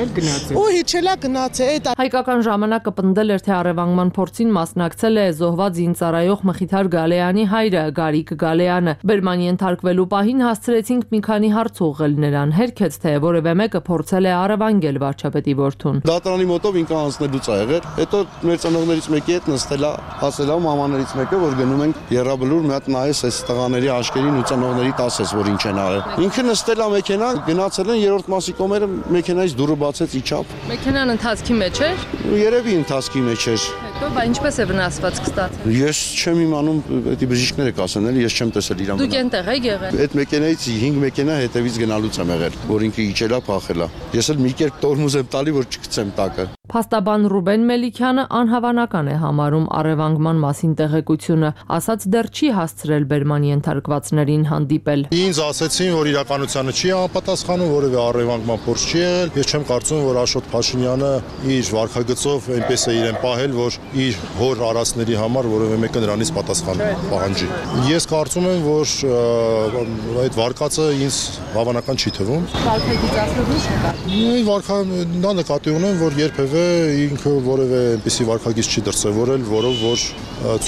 Ու հիչելա գնացել։ Հայկական ժամանակը պնդել էր, թե առևանգման փորձին մասնակցել է զոհված զինծառայող Մխիթար Գալեյանի հայրը Գարիկ Գալեյանը։ Բերման ենթարկվելու պահին հասցրեցինք մի քանի հարց ուղղել նրան, հերքեց, թե որևէ մեկը փորձել է առևանգել վարչապետի որդուն։ Դատարանի մոտով ինքը անցնելուց ա եղել, հետո մեր ծնողներից մեկի հետ նստել է, ասել է մամաներից մեկը, որ գնում ենք եռաբլուր մի հատ նայես այս տղաների աշկերին ու ծնողների ասես, որ ինչ են արել։ Ինքը նստել է մեքենա, գնացել են երրորդ մասի կողմերը մեքենայից դուռը բացեց իջավ։ Մեքենան ընթացքի մեջ էր։ Երևի ընթացքի մեջ էր։ Հետո բա ինչպես է վնասվածք ստացել։ Ես չեմ իմանում, դա բժիշկները կասեն, էլի ես չեմ տեսել իրան։ Դուք այնտեղ եք եղել։ Այդ մեքենայից 5 մեքենա հետևից գնալուց եմ եղել, որ ինքը իջել է, փախել է։ Ես էլ մի կերպ տորմուզ եմ տալի, որ չգցեմ տակը։ Փաստաբան Ռուբեն Մելիքյանը անհավանական է համարում առևանգման մասին տեղեկությունը, ասաց դեռ չի հասցրել բերման ենթարկվածներին հանդիպել։ Ինձ ասեցին, որ իրականությանը չի համապատասխանում, որևէ առևանգման փորձ չի եղել։ Ես չեմ կարծում, որ Աշոտ Փաշինյանը իր վարքագծով այնպես է իրեն պահել, որ իր հոր արածների համար որևէ մեկը նրանից պատասխան պահանջի։ Ես կարծում եմ, որ այդ վարկածը ինձ հավանական չի թվում։ Վարքագիծացնող ինչ նկատի։ Նա նկատի ունեմ, որ երբևէ ինքը որևէ այնպիսի վարկագիծ չի դրսևորել, որով որ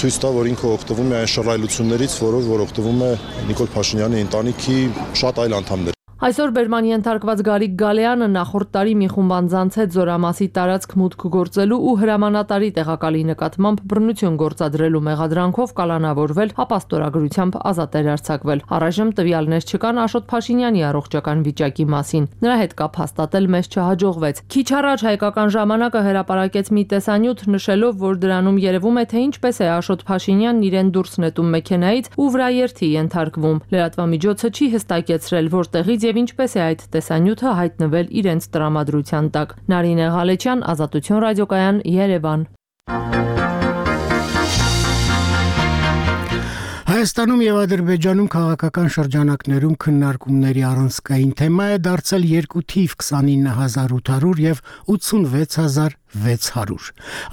ցույց տա, որ ինքը օգտվում է այն շռայլություններից, որով որ օգտվում է Նիկոլ Փաշինյանի ընտանիքի շատ այլ անդամներ։ Այսօր բերման ենթարկված Գարիկ Գալեյանը նախորդ տարի մի խումբ անձանց հետ Զորամասի տարածք մուտք գործելու ու հրամանատարի տեղակալի նկատմամբ բռնություն գործադրելու մեղադրանքով կալանավորվել, ապաստորագրությամբ ազատ էր արձակվել։ Առայժմ տվյալներ չկան Աշոտ Փաշինյանի առողջական վիճակի մասին։ Նրա հետ կապ հաստատել մեզ չհաջողվեց։ Քիչ առաջ Հայկական ժամանակը հրապարակեց մի տեսանյութ նշելով, որ դրանում երևում է, թե ինչպես է Աշոտ Փաշինյանն իրեն դուրս նետում մեքենայից ու վրաերթի ենթարկվում։ Լրատվամիջոցը չի հստակեցրել, որտեղից եւ ինչպես է այդ տեսանյութը հայտնվել իրենց տրամադրության տակ։ Նարինե Ղալեչյան, Ազատություն ռադիոկայան, Երևան։ Հայաստանում եւ Ադրբեջանում քաղաքական շրջանակներում քննարկումների առանցքային թեմա է դարձել երկու թիվ 29800 եւ 86600։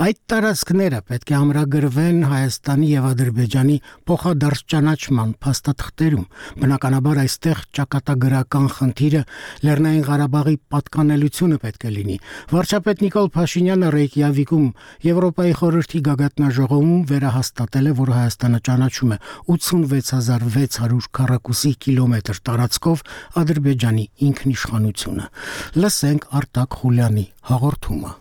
Այդ տարածքները պետք է ամրագրվեն Հայաստանի եւ Ադրբեջանի փոխադարձ ճանաչման փաստաթղթերում։ Բնականաբար այստեղ ճակատագրական խնդիրը Լեռնային Ղարաբաղի պատկանելությունը պետք է լինի։ Վարչապետ Նիկոլ Փաշինյանը Ռեյկյավիկում Եվրոպայի խորհրդի գագաթնաժողովում վերահաստատել է, որ Հայաստանը ճանաչում է 86600 քառակուսի կիլոմետր տարածքով Ադրբեջանի ինքնիշխանությունը։ Լսենք Արտակ Խուլյանի հաղորդումը։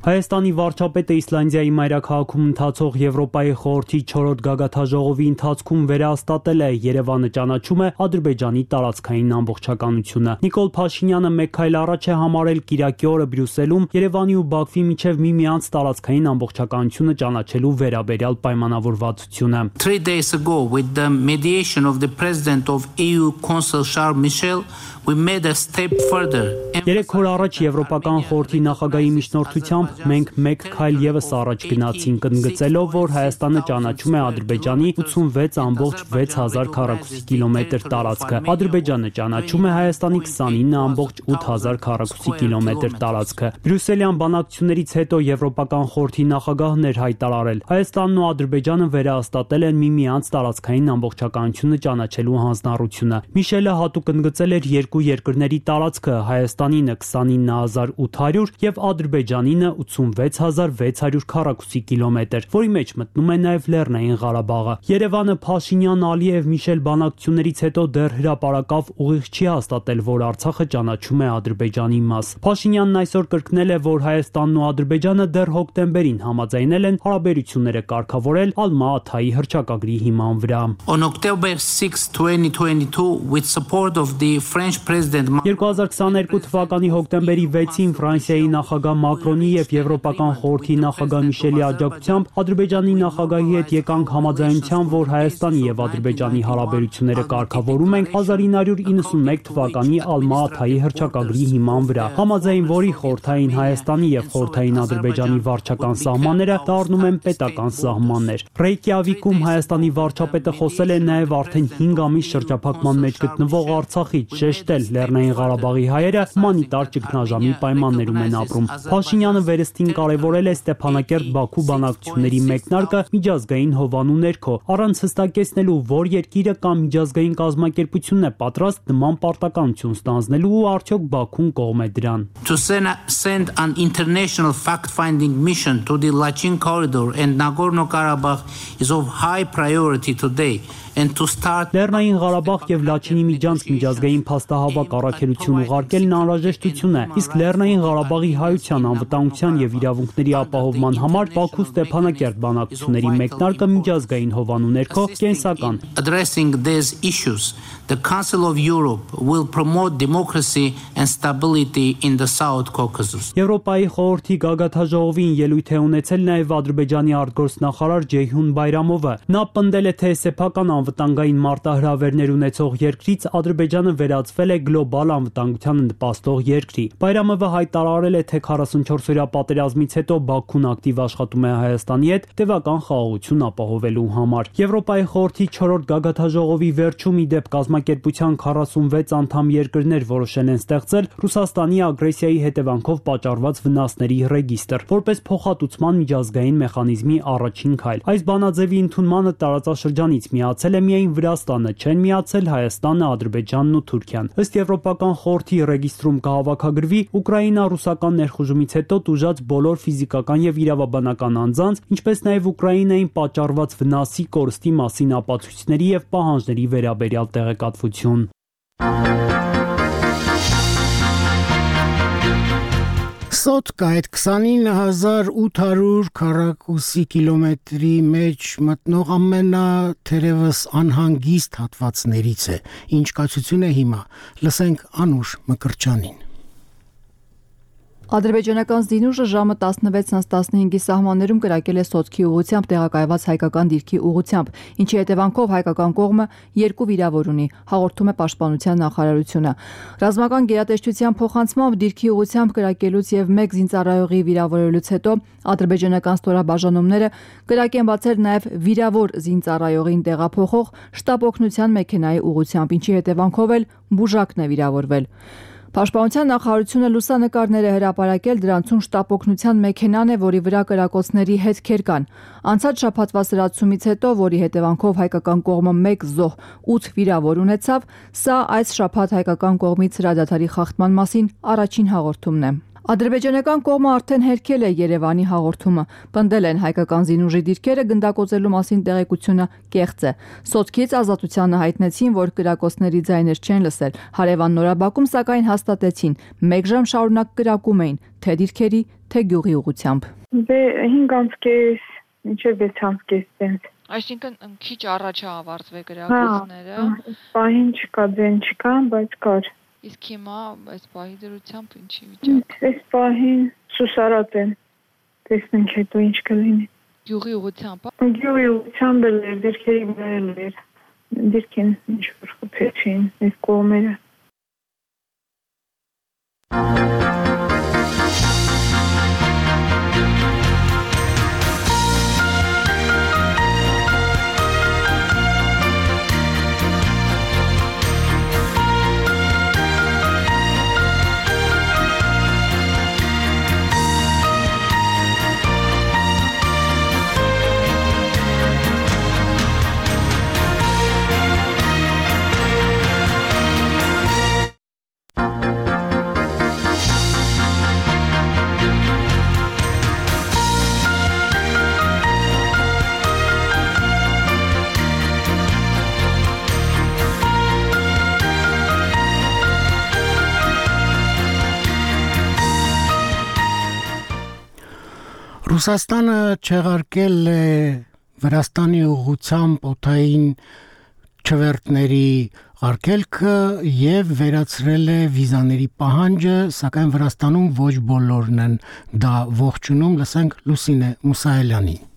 Հայաստանի վարչապետը Իսլանդիայի մայրաքաղաքում ընթացող Եվրոպայի խորհրդի 4-րդ գագաթնաժողովի ընթացքում վերահաստատել է Երևանը ճանաչում է Ադրբեջանի տարածքային ամբողջականությունը։ Նիկոլ Փաշինյանը մեկ քայլ առաջ է համարել կիրակի օրը Բրյուսելում Երևանի ու Բաքվի միջև միմյանց տարածքային ամբողջականությունը ճանաչելու վերաբերյալ պայմանավորվածությունը։ 3 days ago, with the mediation of the president of EU Council Charles Michel, we made a step further. 3 օր առաջ Եվրոպական խորհրդի նախագահի միջնորդությամբ մենք մեկ քայլ եւս առաջ գնացինք, ընդգծելով, որ Հայաստանը ճանաչում է Ադրբեջանի 86.6000 քառակուսի կիլոմետր տարածքը։ Ադրբեջանը ճանաչում է Հայաստանի 29.8000 քառակուսի կիլոմետր տարածքը։ Բրյուսելյան բանակցություններից հետո Եվրոպական խորհրդի նախագահն էր հայտարարել. Հայաստանն ու Ադրբեջանը վերահաստատել են միմյանց տարածքային ամբողջականությունը ճանաչելու հանձնառությունը։ Միշելը հատուկ ընդգծել էր երկու երկրների տարածքը, Հայաստանինը 29800 եւ Ադրբեջանինը 86600 քառակուսի կիլոմետր, որի մեջ մտնում է նաեւ Լեռնային Ղարաբաղը։ Երևանը Փաշինյան-Ալիև Միշել բանակցություններից հետո դեռ հրապարակավ ուղիղ չի հաստատել, որ Արցախը ճանաչում է Ադրբեջանի մաս։ Փաշինյանն այսօր կրկնել է, որ Հայաստանն ու Ադրբեջանը դեռ հոկտեմբերին համաձայնել են հարաբերությունները կարգավորել Ալմա-Աթայի հռչակագրի հիման վրա։ On October 6, 2022, with support of the French president 2022 թվականի հոկտեմբերի 6-ին Ֆրանսիայի նախագահ Մակրոնի եւ Եվրոպական խորհրդի նախագահ Միշելի աջակցությամբ Ադրբեջանի նախագահի հետ եկանք համաձայնության, որ Հայաստանի եւ Ադրբեջանի հարաբերությունները կարգավորում ենք 1991 թվականի Ալմա-Աթայի հռչակագրի հիման վրա, համաձայն որի խորհրդային Հայաստանի եւ խորհրդային Ադրբեջանի վարչական սահմանները դառնում են պետական սահմաններ։ Ռեյկյավիկում Հայաստանի վարչապետը խոսել է նաեւ արդեն 5 ամիս շրջափակման մեջ գտնվող Արցախից, շեշտել Լեռնային Ղարաբաղի հայերը հումանիտար ճգնաժամի պայմաններում են ապրում։ Փաշինյանը վերստին կարևորել է Ստեփանակերտ-Բաքու բանակցությունների մեկնարկը միջազգային հովանու ներքո, առանց հստակեցնելու, որ երկիրը կամ միջազգային կազմակերպությունն է պատրաստ նման պարտականություն ստանձնելու ու արդյոք Բաքուն կողմ է դրան։ To send an international fact-finding mission to the Lachin corridor and Nagorno-Karabakh is of high priority today. Լեռնային Ղարաբաղ եւ Լաչինի միջանցք միջազգային փաստահավաք առաքելություն ուղարկելն անհրաժեշտություն է, իսկ Լեռնային Ղարաբաղի հայության, անվտանգության եւ իրավունքների ապահովման համար Բաքու Ստեփանակերտ բանակցությունների մեկնարկը միջազգային հովանու ներքո կենսական։ Addressing these issues, the Council of Europe will promote democracy and stability in the South Caucasus. Եվրոպայի խորհրդի գագաթնաժողովին ելույթ է ունեցել նաեւ Ադրբեջանի արտգործնախարար Ջեյհուն Բայրամովը։ Նա պնդել է, թե սեփական անվտանգային մարտահրավերներ ունեցող երկրից Ադրբեջանը վերածվել է գլոբալ անվտանգությանը նպաստող երկրի։ Բայրամովը հայտարարել է, թե 44-օրյա պատերազմից հետո Բաքուն ակտիվ աշխատում է Հայաստանի հետ տևական խաղաղություն ապահովելու համար։ Եվրոպայի խորհրդի 4-րդ գագաթնաժողովի վերջում ի դեպ կազմակերպության 46 անդամ երկրներ որոշել են ստեղծել Ռուսաստանի ագրեսիայի հետևանքով պատճառված վնասների ռեգիստր, որպես փոխհատուցման միջազգային մեխանիզմի առաջին քայլ։ Այս բանաձևի ընդունմանը տարածաշրջանից միացել է միայն Վրաստանը, չեն միացել Հայաստանը, Ադրբեջանն ու Թուրքիան։ Ըստ Եվրոպական խորհրդի ռեգիստրում կհավաքագրվի Ուկրաինա-ռուսական ներխուժումից հետո տուժած բոլոր ֆիզիկական եւ իրավաբանական անձանց, ինչպես նաեւ Ուկրաինային պատճառված վնասի, կորստի մասին ապացույցների եւ պահանջների վերաբերյալ տեղեկատվություն։ Սոտկա այդ 29800 քառակուսի կիլոմետրի մեջ մտնող ամենաթերևս անհանգիստ հատվածներից է։ Ինչ կացություն է հիմա։ Լսենք Անուշ Մկրտչյանին։ Ադրբեջանական զինուժը ժամը 16:15-ի սահմաններում կրակել է Սոտքի ուղղությամբ տեղակայված հայկական դիրքի ուղղությամբ, ինչի հետևանքով հայկական կողմը 2 վիրավոր ունի, հաղորդում է Պաշտպանության նախարարությունը։ Ռազմական գերատեսչության փոխանցմամբ դիրքի ուղղությամբ կրակելուց եւ 1 զինծառայողի վիրավորելուց հետո ադրբեջանական ստորաբաժանումները կրակ են բացել նաեւ վիրավոր զինծառայողին տեղափոխող շտաբ օգնության մեքենայի ուղղությամբ, ինչի հետևանքով էլ բուժակն է վիրավորվել։ Պաշտպանության նախարարությունը լուսանկարներ է հրապարակել, դրանցում շտաբ օգնության մեքենան է, որի վրա կրակոցների հետքեր կան։ Անցած շաբաթվա սրացումից հետո, որի հետևանքով հայկական կողմը 1 զոհ 8 վիրավոր ունեցավ, սա այս շաբաթ հայկական կողմից հրադադարի խախտման մասին առաջին հաղորդումն է։ Ադրբեջանական կողմը արդեն հերքել է Երևանի հաղորդումը։ Պնդել են հայկական զինուժի դիրքերը գնդակոծելու մասին տեղեկությունը կեղծ է։ Սոտքից ազատությանը հայտնեցին, որ կրակոցների ձայներ չեն լսել։ Հարևան Նորաբաքում սակայն հաստատեցին, 1 ժամ շարունակ կրակում էին, թե դիրքերի, թե գյուղի ուղղությամբ։ 5:30 մինչև 6:30 Այսինքն քիչ առաջ է ավարտվել կրակոցները։ Պահին չկա, ձեն չկա, բայց կար։ Իսկ հիմա այս պահի դրությամբ ինչի վիճակ։ Այս պահին սուսարած են։ Տեսնենք հետո ինչ կլինի։ Գյուղի ուղղությամբ։ Գյուղի ուղղությամբ էլ դիրքերի վրա էր։ Դիրքին ինչ որ խփեցին այս կողմերը։ Ռուսաստանը չեղարկել է Վրաստանի ուղղությամբ օդային չվերթների արգելքը եւ վերացրել է վիզաների պահանջը, սակայն Վրաստանում ոչ բոլորն են դա ողջունում, լսենք Լուսինե Մուսայելյանին։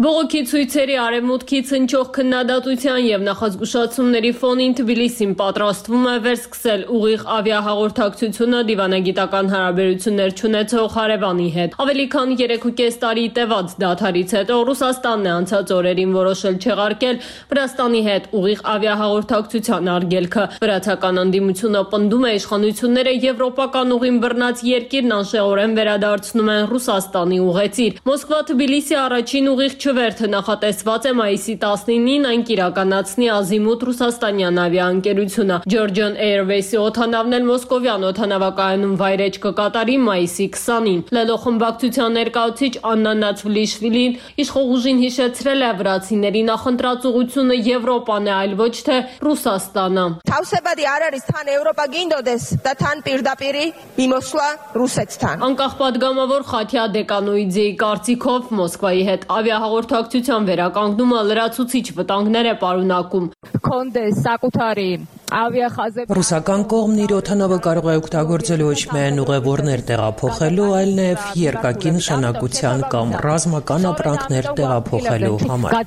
Բողոքի ցույցերի արևմուտքից հնչող քննադատության եւ նախազգուշացումների ֆոնին Թբիլիսին պատրաստվում է վերսկսել ուղիղ ավիահաղորդակցությունը դիվանագիտական հարաբերություններ չունեցող հարևանի հետ։ Ավելի քան 3.5 տարի տևած դադարից հետո Ռուսաստանն է անցած օրերին որոշել չեղարկել Վրաստանի հետ ուղիղ ավիահաղորդակցության արգելքը։ Վրացական ընդդիմությունը պնդում է իշխանությունները եվրոպական ուղին բռնած երկիրն անշեղորեն վերադարձնում են Ռուսաստանի ուղեցիր։ Մոսկվա-Թբիլիսի առաջին ուղիղ չվերթը նախատեսված է մայիսի 19-ին, այն կիրականացնի Ազիմուտ ռուսաստանյան ավիաընկերությունը։ Georgian Airways-ի օդանավն էլ մոսկովյան օդանավակայանում վայրեջ կկատարի մայիսի 20-ին։ Լելո խմբակցության ներկայացուցիչ Աննա Նացվլիշվիլին իշխող ուժին հիշեցրել է վրացիների նախընտրած ուղղությունը Եվրոպան է, այլ ոչ թե Ռուսաստանը։ Თავსებადი არ არის თან ევროპა გინდოდეს და თან პირდაპირი მიმოსვლა რუსეთთან։ Անկախ падգամավոր Խաթյա Դեկանոիձեի կարծիքով Մոսկվայի հետ ավիահաղորդակցության վերականգնումը լրացուցիչ վտանգներ է պարունակում։ Քոնդես սակութարի Ռուսական կողմն իր օդանավը կարող է օգտագործել ոչ միայն ուղևորներ տեղափոխելու, այլ նաև երկակի նշանակության կամ ռազմական ապրանքներ տեղափոխելու համար։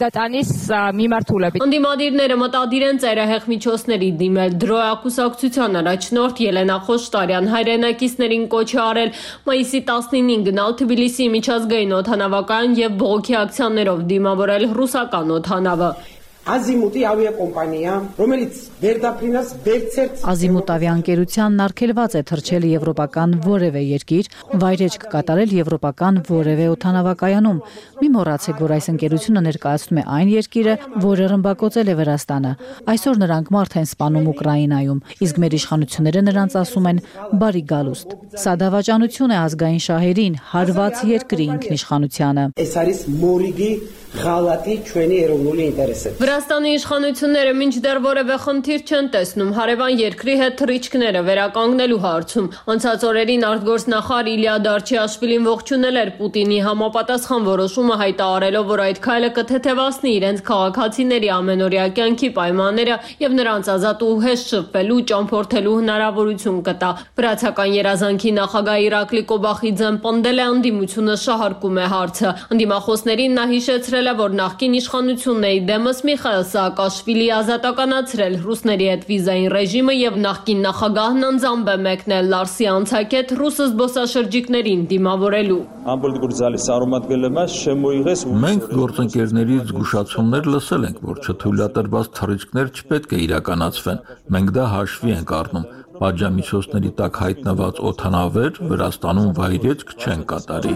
Ընդդիմադիրները մտադիր են ծայրահեղ միջոցների դիմել։ Դրոյ կուսակցության առաջնորդ Ելենա Խոշտարյան հայրենակիցներին կոչ է արել մայիսի 19-ին գնալ Թբիլիսի միջազգային օդանավակայան եւ բողոքի ակցիաներով դիմավորել ռուսական օդանավը։ Ազիմուտի ավիակոմպանիա, რომელიც վերդափրինած վերցերց Ազիմուտ ավիաընկերությանն արգելված է թռչել եվրոպական որևէ երկիր, վայրեջ կկատարել եվրոպական որևէ օդանավակայանում։ Մի մոռացեք, որ այս ընկերությունը ներկայացնում է այն երկիրը, որը ռմբակոծել է Վրաստանը։ Այսօր նրանք մարդ են սպանում Ուկրաինայում, իսկ մեր իշխանությունները նրանց ասում են բարի գալուստ։ Սա դավաճանություն է ազգային շահերին, հարված երկրի ինքնիշխանությանը։ Այս არის մորիգի Ղալատի ჩვენი երևնული ինտերեսը։ Վրաստանի իշխանությունները մինչդեռ որևէ խնդիր չեն տեսնում հարևան երկրի հետ թռիչքները վերականգնելու հարցում։ Անցած օրերին արտգործնախարար Իլիա Դարչիաշվիլին ողջունել էր Պուտինի համապատասխան որոշումը, հայտարարելով, որ այդ քայլը կթեթևացնի իրենց քաղաքացիների ամենօրյա կյանքի պայմանները եւ նրանց ազատ ու հեշտ շփվելու, ճամփորդելու հնարավորություն կտա։ Վրացական երազանքի նախագահ Իրակլի Կոբախիձեն պնդել է անդիմությունը շահարկում է հարցը։ Անդիմախոսներին նա հիշեցրել է, որ նախկին իշխանությունների դեմս Միխայել Սաակաշվիլի ազատականացրել ռուսների հետ վիզային ռեժիմը եւ նախկին նախագահն անձամբ է մեկնել Լարսի անցակետ ռուս զբոսաշրջիկներին դիմավորելու։ Մենք գործընկերներից զգուշացումներ լսել ենք, որ չթույլատրված թռիչքներ չպետք է իրականացվեն։ Մենք դա հաշվի ենք առնում։ Պատժամիջոցների տակ հայտնված օդանավեր Վրաստանում վայրեջք չեն կատարի։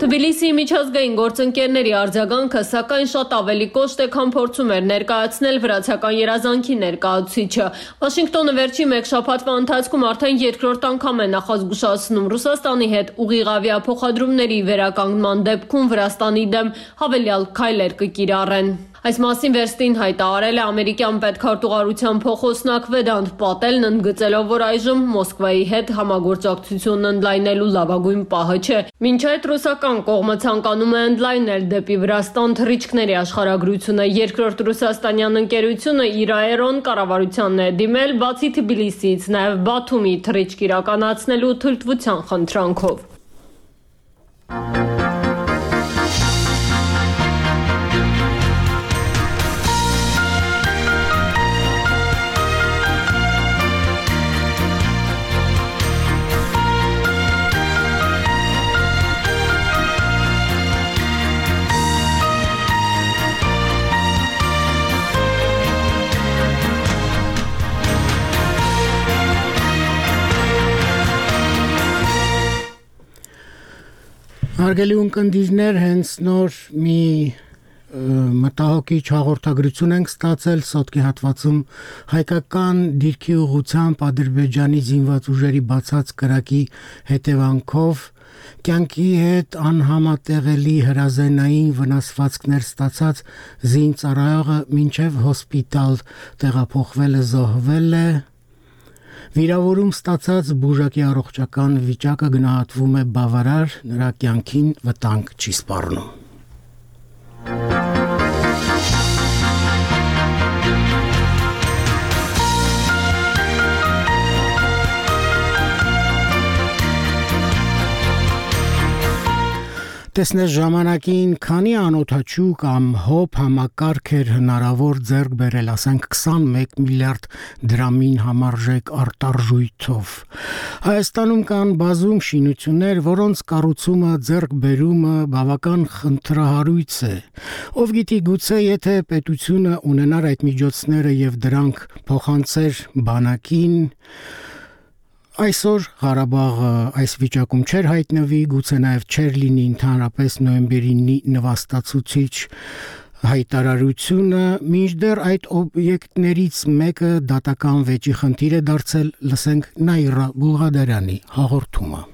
Թբիլիսիի միջազգային գործընկերների արձագանքը սակայն շատ ավելի կոշտ է, քան փորձում էր ներկայացնել վրացական երազանքի ներկայացուցիչը։ Վաշինգտոնը վերջի մեկ շաբաթվա ընթացքում արդեն երկրորդ անգամ է նախազգուշացնում Ռուսաստանի հետ ուղիղ ավիափոխադրումների վերականգնման դեպքում Վրաստանի դեմ հավելյալ քայլեր կկիրառեն։ Այս մասին վերստին հայտարարել է ամերիկյան պետքարտուղարության փոխոսնակ Վեդանտ Պատելն, ընդգծելով, որ այժմ Մոսկվայի հետ համագործակցությունն ընդլայնելու լավագույն պահը չէ։ Մինչ այդ ռուսական կողմը ցանկանում է ընդլայնել դեպի Վրաստան թռիչքների աշխարհագրությունը։ Երկրորդ ռուսաստանյան ընկերությունը իր աերոն կառավարությանն է դիմել բացի Թբիլիսիից նաև Բաթումի թռիչք իրականացնելու թույլտվության խնդրանքով։ Հարգելի ունկնդիրներ, հենց նոր մի մտահոգիչ հաղորդագրություն ենք ստացել սոտկի հատվածում հայկական դիրքի ուղղությամբ Ադրբեջանի զինված ուժերի բացած կրակի հետևանքով կյանքի հետ անհամատեղելի հրազենային վնասվածքներ ստացած զինծառայողը մինչև հոսպիտալ տեղափոխվել է, զոհվել է։ Վիրավորում ստացած բուժակի առողջական վիճակը գնահատվում է բավարար, նրա կյանքին վտանգ չի սպառնում։ Տեսնես ժամանակին քանի անօթաչու կամ հոբ համակարգ էր հնարավոր ձեռք բերել, ասենք 21 միլիարդ դրամին համարժեք արտարժույթով։ Հայաստանում կան բազում շինություններ, որոնց կառուցումը, ձեռքբերումը բավական խնդրահարույց է։ Ով գիտի, գուցե եթե պետությունը ունենար այդ միջոցները եւ դրանք փոխանցեր բանակին, այսօր Ղարաբաղը այս վիճակում չէր հայտնվի, գուցե նաև չէր լինի ընդհանրապես նոյեմբերի նվաստացուցիչ հայտարարությունը, մինչդեռ այդ օբյեկտներից մեկը դատական վեճի խնդիր է դարձել, լսենք Նաիրա Բուլղադարյանի հաղորդումը։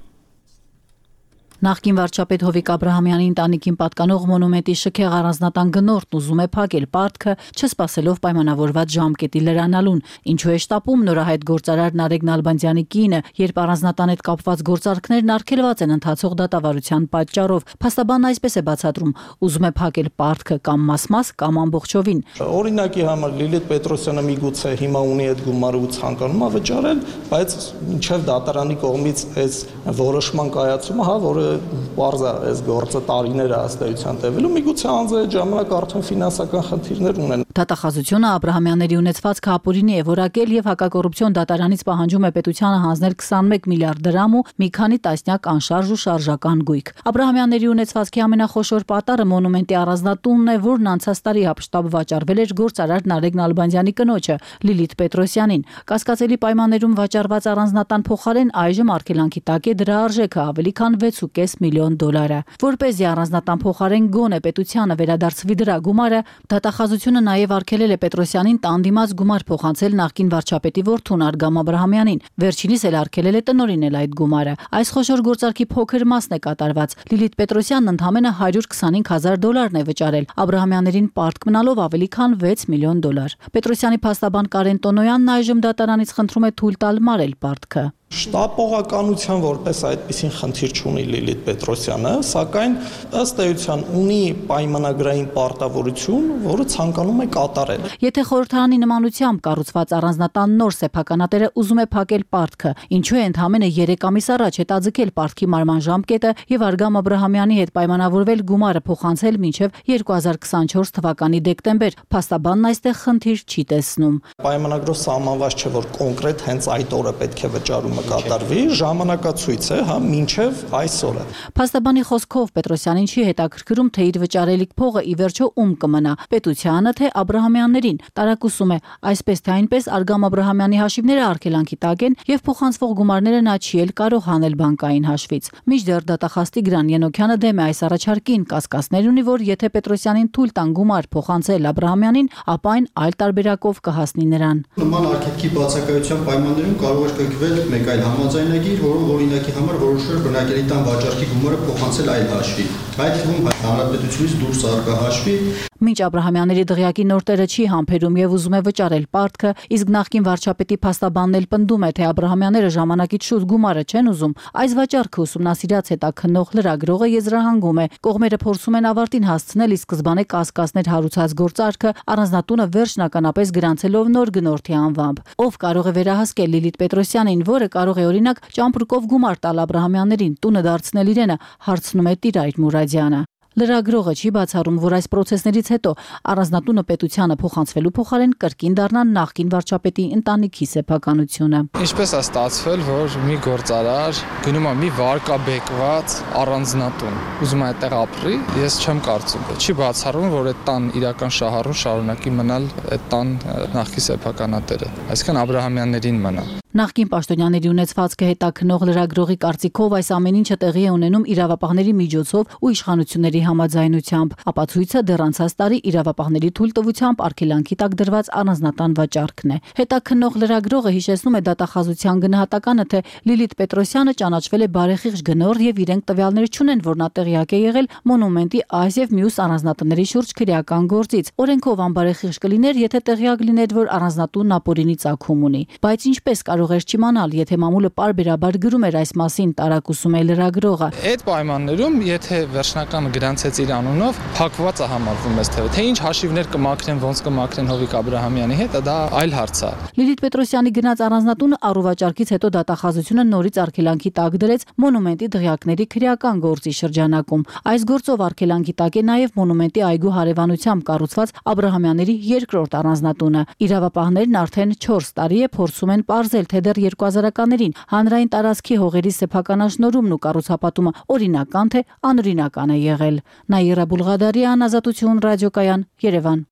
Նախկին վարչապետ Հովիկ Աբրահամյանի ընտանիքին պատկանող մոնումենտի շքեղ առանձնատան գնորդն ուզում է փակել պարտքը, չսպասելով պայմանավորված ժամկետի լրանալուն, ինչու է շտապում նորահայտ գործարար Նարեկ Նալբանդյանի կինը, երբ առանձնատան հետ կապված գործարքներն արգելված են ընթացող դատավարության պատճառով։ Փաստաբանն այսպես է բացատրում, ուզում է փակել պարտքը կամ մաս-մաս կամ ամբողջովին։ Օրինակի համար Լիլիթ Պետրոսյանը միգուցե հիմա ունի այդ գումարը ու ցանկանում է վճարել, բայց մինչև դատարանի կողմից այս որոշման կայացումը, որը Պարզա այս գործը տարիներ է ըստեյության տևելու, միգուցե անձը այդ ժամանակ արդեն ֆինանսական խնդիրներ ունեն։ Դատախազությունը Աբրահամյանների ունեցվածքը ապօրինի է որակել եւ հակակոռուպցիոն դատարանից պահանջում է պետությանը հանձնել 21 միլիարդ դրամ ու մի քանի տասնյակ անշարժ ու շարժական գույք։ Աբրահամյանների ունեցվածքի ամենախոշոր պատառը մոնումենտի առանձնատունն է, որն անցած տարի հապշտապ վաճառվել էր գործարար Նարեկ Նալբանդյանի կնոջը Լիլիթ Պետրոսյանին։ Կասկածելի պայմաններում վաճառված առանձնատան փոխարեն այժմ արգելանքի տակ է դրա արժեքը ավելի քան 6.5 1.5 միլիոն դոլարը։ Որպեսզի առանձնատան փոխարեն գոնե պետությանը վերադարձվի դրա գումարը, դատախազությունը նաև արգելել է Պետրոսյանին տան դիմաց գումար փոխանցել նախկին վարչապետի որդուն Արգամ Աբրահամյանին։ Վերջինիս էլ արգելել է տնօրինել այդ գումարը։ Այս խոշոր գործարքի փոքր մասն է կատարված։ Լիլիթ Պետրոսյանն ընդամենը $125,000 է վճարել, Աբրահամյաններին պարտք մնալով ավելի քան $6 միլիոն։ Պետրոսյանի փաստաբան Կարեն Տոնոյանն այժմ դատարանից խնդրում է թույլ տալ մարել պարտքը։ Շտապողականության որպես այդպիսին խնդիր չունի Լիլիթ Պետրոսյանը, սակայն ըստ էության ունի պայմանագրային պարտավորություն, որը ցանկանում է կատարել։ Եթե խորհրդարանի նմանությամբ կառուցված առանձնատան նոր սեփականատերը ուզում է փակել պարտքը, ինչու է ընդամենը 3 ամիս առաջ հետաձգել պարտքի մարման ժամկետը եւ Արգամ Աբրահամյանի հետ պայմանավորվել գումարը փոխանցել մինչեւ 2024 թվականի դեկտեմբեր, փաստաբանն այստեղ խնդիր չի տեսնում։ Պայմանագրով սահմանված չէ, որ կոնկրետ հենց այդ օրը պետք է վճարումը կատարվի, ժամանակացույց է, մինչև այսօրը։ Փաստաբանի խոսքով Պետրոսյանին չի հետաքրքրում, թե իր վճարելիք փողը ի վերջո ում կմնա՝ պետությանը, թե Աբրահամյաններին։ Տարակուսում է, այսպես թե այնպես Արգամ Աբրահամյանի հաշիվները արգելանքի տակ են եւ փոխանցվող գումարները նա չի էլ կարող հանել բանկային հաշվից։ Մինչդեռ դատախազ Տիգրան Ենոքյանը դեմ է այս առաջարկին, կասկածներ ունի, որ եթե Պետրոսյանին թույլ տան գումար փոխանցել Աբրահամյանին, ապա այն այլ տարբերակով կհասնի նրան։ Նման արգելքի բացակայության պայմաններում կարող է կնքվել մեկ այլ համաձայնագիր, որով օրինակի համար որոշել բնակելի տան վաճառքի գումարը փոխանցել այլ հաշվի, այդ թվում հանրապետությունից դուրս առկա հաշվի։ Մինչ Աբրահամյանների դղյակի նոր տերը չի համբերում եւ ուզում է վճարել պարտքը, իսկ նախկին վարչապետի փաստաբանն էլ պնդում է, թե Աբրահամյանները ժամանակից շուտ գումարը չեն ուզում, այս վաճառքը ուսումնասիրած հետաքննող լրագրողը եզրահանգում է, կողմերը փորձում են ավարտին հասցնել ի սկզբանե կասկածներ հարուցած գործարքը, առանձնատունը վերջնականապես գրանցելով նոր գնորդի անվամբ։ Ով կարող է վերահասկել Լիլիթ Պետրոսյանին, որը կարող է օրինակ ճամպրուկով գումար տալ Աբրահամյաններին, տունը դարձնել իրենը, հարցնում է Տիրայր Մուրադյանը։ Լրագրողը չի բացառում, որ այս process-ներից հետո առանձնատունը պետությանը փոխանցվելու փոխարեն կրկին դառնա նախկին վարչապետի ընտանիքի սեփականությունը։ Ինչպես է ստացվել, որ մի գործարար գնում է մի վարկաբեկված առանձնատուն, ուզում է այդտեղ ապրի, ես չեմ կարծում։ Չի բացառում, որ այդ տան իրական շահառուն շարունակի մնալ այդ տան նախկին սեփականատերը, այսինքն Աբրահամյաններին մնա։ Նախկին պաշտոնյաների ունեցվածքը հետաքննող լրագրողի կարծիքով այս ամեն ինչը տեղի է ունենում իրավապահների միջոցով ու իշխանությունների համաձայնությամբ։ Ապացույցը դեռ անցած տարի իրավապահների թույլտվությամբ արգելանքի տակ դրված առանձնատան վաճառքն է։ Հետաքննող լրագրողը հիշեցնում է դատախազության գնահատականը, թե Լիլիթ Պետրոսյանը ճանաչվել է բարեխիղճ գնորդ եւ իրենք տվյալներ չունեն, որ նա տեղյակ է եղել մոնումենտի այս եւ մյուս առանձնատների շուրջ քրեական գործից։ Օրենքով անբարեխիղճ կլիներ, եթե տեղյակ լիներ, որ առանձնատունն ապօրինի ծագում ունի։ Բայց ինչպես կարող էր չիմանալ, եթե մամուլը պարբերաբար գրում էր այս մասին, տարակուսում է լրագրողը։ Այդ պայմաններում, եթե վերջնական գրանցեց իր անունով, փակված է համարվում այս թվը։ Թե ինչ հաշիվներ կմաքրեն, ոնց կմաքրեն Հովիկ Աբրահամյանի հետ, դա այլ հարց է։ Լիլիթ Պետրոսյանի գնաց առանձնատունը առուվաճառքից հետո դատախազությունը նորից արգելանքի տակ դրեց մոնումենտի դղյակների քրեական գործի շրջանակում։ Այս գործով արգելանքի տակ է նաև մոնումենտի այգու հարևանությամբ կառուցված Աբրահամյանների երկրորդ առանձնատունը։ Իրավապահներն արդեն 4 տարի է փորձում են պարզել, թե դեռ 2000-ականներին հանրային տարածքի հողերի սեփականաշնորհումն ու կառուցապատումը օրինական թե անօրինական է եղել։ Նաիրա Բուլղադարյան, Ազատություն ռադիոկայան, Երևան։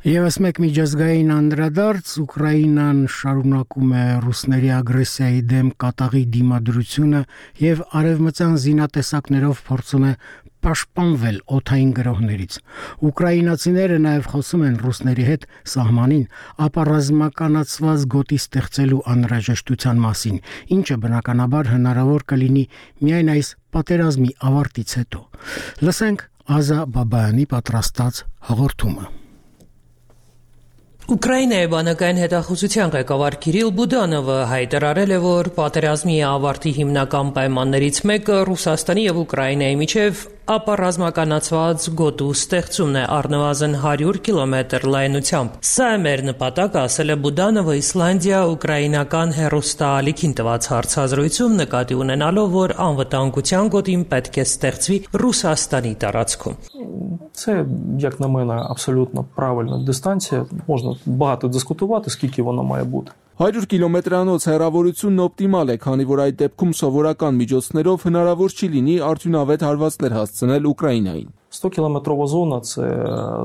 Եվս մեկ միջազգային անդրադարձ Ուկրաինան շարունակում է ռուսների ագրեսիայի դեմ կատաղի դիմադրությունը եւ արևմտյան զինատեսակներով փորձում է պաշտպանվել օդային գրոհներից։ Ուկրաինացիները նաև խոսում են ռուսների հետ սահմանին ապառազմականացված գոտի ստեղծելու անհրաժեշտության մասին, ինչը բնականաբար հնարավոր կլինի միայն այս պատերազմի ավարտից հետո։ Լսենք Ազա Բաբայանի պատրաստած հաղորդումը։ Ուկրաինայի բանակային հետախուզության ղեկավար Կիրիլ Բուդանովը հայտարարել է, որ պատերազմի ավարտի հիմնական պայմաններից մեկը Ռուսաստանի եւ Ուկրաինայի միջև ապառազմականացված գոտու ստեղծումն է առնվազն 100 կիլոմետր լայնությամբ։ Սա է մեր նպատակը, ասել է Բուդանովը իսլանդիա-ուկրաինական հեռուստաալիքին տված հարցազրույցում, նկատի ունենալով, որ անվտանգության գոտին պետք է ստեղծվի Ռուսաստանի տարածքում։ Це, як на мене, абсолютно правильна дистанція. Можна багато дискутувати, скільки вона має бути. 100 կիլոմետրանոց հեռավորությունն օպտիմալ է, քանի որ այդ դեպքում սովորական միջոցներով հնարավոր չի լինի արդյունավետ հարվածներ հասցնել Ուկրաինային։ 100-կիլометрова зона – це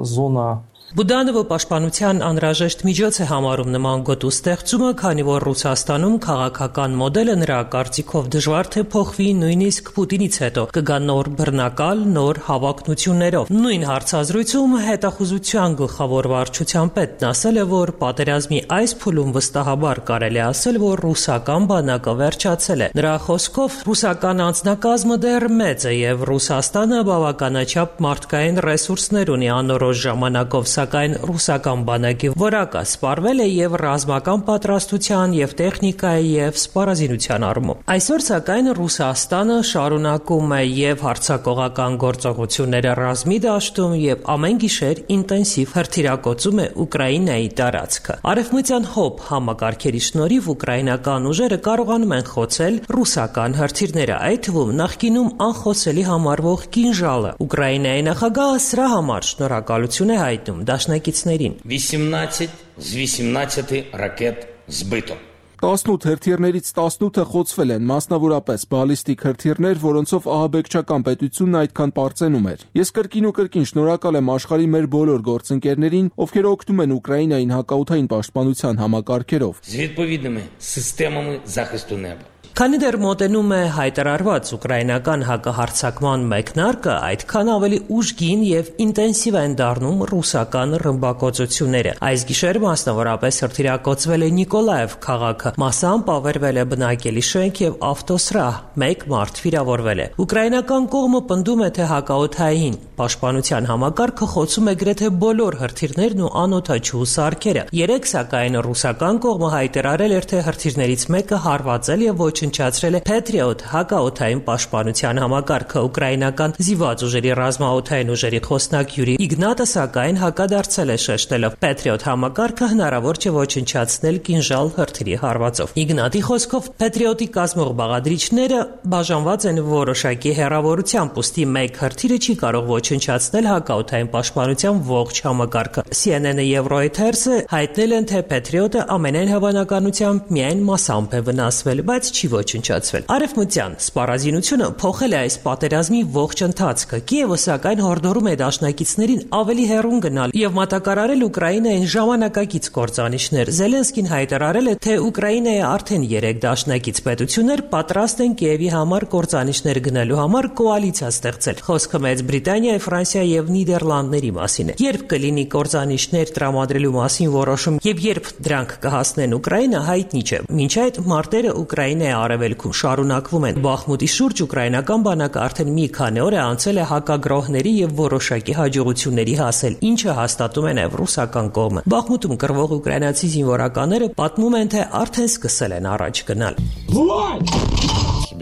зона Բուդանովը պաշտպանության անհրաժեշտ միջոց է համարում նման գոտու ստեղծումը, քանի որ Ռուսաստանում քաղաքական մոդելը նրա կարծիքով դժվար թե փոխվի նույնիսկ Պուտինից հետո կգա նոր բռնակալ, նոր հավակնություններով։ Նույն հարցազրույցում հետախուզության գլխավոր վարչության պետն ասել է, որ պատերազմի այս փուլում վստահաբար կարելի ասել, որ ռուսական բանակը վերջացել է։ Նրա խոսքով ռուսական անձնակազմը դեռ մեծ է եւ Ռուսաստանը բավականաչափ մարդկային ռեսուրսներ ունի անորոշ ժամանակով, սակայն ռուսական բանակի որակը սպառվել է եւ ռազմական պատրաստության եւ տեխնիկայի եւ սպառազինության առումով։ Այսօր սակայն Ռուսաստանը շարունակում է եւ հարձակողական գործողությունները ռազմի դաշտում եւ ամեն գիշեր ինտենսիվ հրթիռակոծում է Ուկրաինայի տարածքը։ Արևմտյան հոբ համակարգերի շնորհիվ ուկրաինական ուժերը կարողանում են խոցել ռուսական հրթիռները, այդ թվում նախկինում անխոցելի համարվող կինժալը։ Ուկրաինայի նախագահը սրա համար շնորհակալություն է հայտնում դաշնակիցներին։ 18 з 18 ракет збито. 18 հրթիռներից 18-ը խոցվել են, մասնավորապես բալիստիկ հրթիռներ, որոնցով ահաբեկչական պետությունն այդքան պարծենում էր։ Ես կրկին ու կրկին շնորհակալ եմ աշխարհի մեր բոլոր գործընկերներին, ովքեր օգնում են Ուկրաինային հակաօդային պաշտպանության համակարգերով։ З відповідними системами захисту неба. Քանի դեռ մոտենում է հայտարարված ուկրաինական հակահարձակման մեկնարկը, այդքան ավելի ուժգին եւ ինտենսիվ են դառնում ռուսական ռմբակոծությունները։ Այս գիշեր մասնավորապես հրթիռակոծվել է Նիկոլաև քաղաքը, մասամբ ավերվել է բնակելի շենք եւ ավտոսրահ, 1 մարդ վիրավորվել է։ Ուկրաինական կողմը պնդում է, թե հակաօդային պաշտպանության համակարգը խոցում է գրեթե բոլոր հրթիռներն ու անօդաչու սարքերը։ Երեք սակայն ռուսական կողմը հայտարարել էր, թե հրթիռներից մեկը հարվածել եւ ոչնչացրել է Patriot հակաօդային պաշտպանության համակարգը։ Ուկրաինական զինված ուժերի ռազմաօդային ուժերի խոսնակ Յուրի Իգնատը սակայն հակադարձել է շեշտելով Patriot համակարգը հնարավոր չէ ոչնչացնել կինժալ հրթիռի հարվածով։ Իգնատի խոսքով Patriot-ի կազմող բաղադրիչները բաժանված են որոշակի հեռավորությամբ, ուստի մեկ հրթիռը չի կարող ոչնչացնել հակաօդային պաշտպանության ողջ համակարգը։ CNN-ը եւ Reuters-ը հայտնել են, թե Patriot-ը ամենայն հավանականությամբ միայն մասամբ է վնասվել, բայց չի ոչնչացվել։ Արևմտյան սպառազինությունը փոխել է այս պատերազմի ողջ ընթացքը։ Կիևը սակայն հորդորում է դաշնակիցներին ավելի հեռուն գնալ եւ մատակարարել Ուկրաինային ժամանակակից կործանիչներ։ Զելենսկին հայտարարել է, թե Ուկրաինայի արդեն 3 դաշնակից պետություններ պատրաստ են Կիևի համար կործանիչներ գնելու համար կոալիցիա ստեղծել։ Խոսքը Մեծ Բրիտանիայի, Ֆրանսիայի եւ Նիդերլանդների մասին է։ Երբ կլինի կործանիչներ տրամադրելու մասին որոշում եւ երբ դրանք կհասնեն Ուկրաինա, հայտնի չէ։ Մինչ այդ մարտերը Ուկրաինայի արևելքում շարունակվում են։ Բախմուտի շուրջ ուկրաինական բանակը արդեն մի քանի օր է անցել է հակագրոհների եւ որոշակի հաջողությունների հասել, ինչը հաստատում է նաեւ ռուսական կողմը։ Բախմուտում կռվող ուկրաինացի զինվորականները պատմում են, թե արդեն սկսել են առաջ գնալ։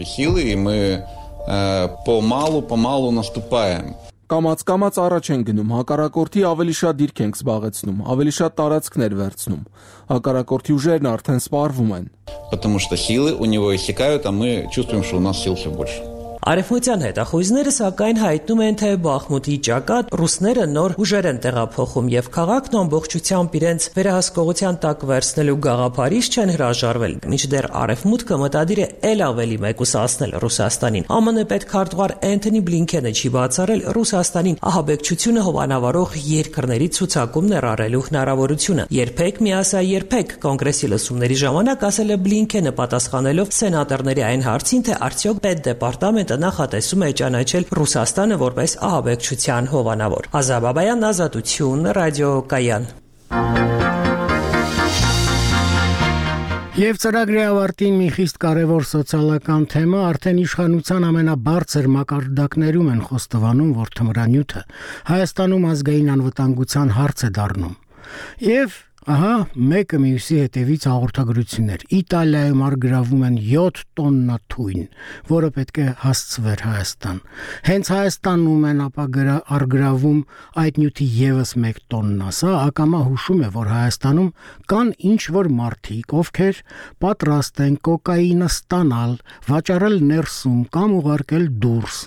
Силы, и мы помалу наступаем. Կամաց առաջ են գնում, հակառակորդի ավելի շատ դիրք ենք զբաղեցնում, ավելի շատ տարածքներ վերցնում։ Հակառակորդի ուժերն արդեն սպառվում են։ Потому что силы у него иссякают, а мы чувствуем, что у нас сил все больше. Արևմտյան հետախույզները սակայն հայտնում են, թե Բախմուտի ճակատ ռուսները նոր ուժեր են տեղափոխում եւ քաղաքն ամբողջությամբ իրենց վերահսկողության տակ վերցնելու գաղափարից չեն հրաժարվել, մինչդեռ Արևմուտքը մտադիր է ել ավելի մեկուսացնել Ռուսաստանին։ ԱՄՆ պետքարտուղար Էնթոնի Բլինքենը չի բացառել Ռուսաստանին ահաբեկչությունը հովանավորող երկրների ցուցակում ներառելու հնարավորությունը։ Երբեք միասա երբեք կոնգրեսի լսումների ժամանակ ասել է Բլինքենը պատասխանելով սենատորների այն հարցին, թե արդյոք պետդեպարտամենտը նախատեսում է ճանաչել Ռուսաստանը որպես ահաբեկչության հովանավոր։ Ազատ Բաբայան, Ազատություն, ռադիոկայան։ Եվ ծրագրի ավարտին մի խիստ կարևոր սոցիալական թեմա արդեն իշխանության ամենաբարձր մակարդակներում են խոստովանում, որ թմրանյութը Հայաստանում ազգային անվտանգության հարց է դառնում։ Եվ ահա մեկը մյուսի հետևից հաղորդագրություններ։ Իտալիայում արգրավում են 7 տոննա թույն, որը պետք է հասցվեր Հայաստան։ Հենց Հայաստանում են արգրավում այդ նյութի եւս 1 տոննա։ Սա ակամա հուշում է, որ Հայաստանում կան ինչ-որ մարդիկ, ովքեր պատրաստ են կոկաինը ստանալ, վաճառել ներսում կամ ուղարկել դուրս։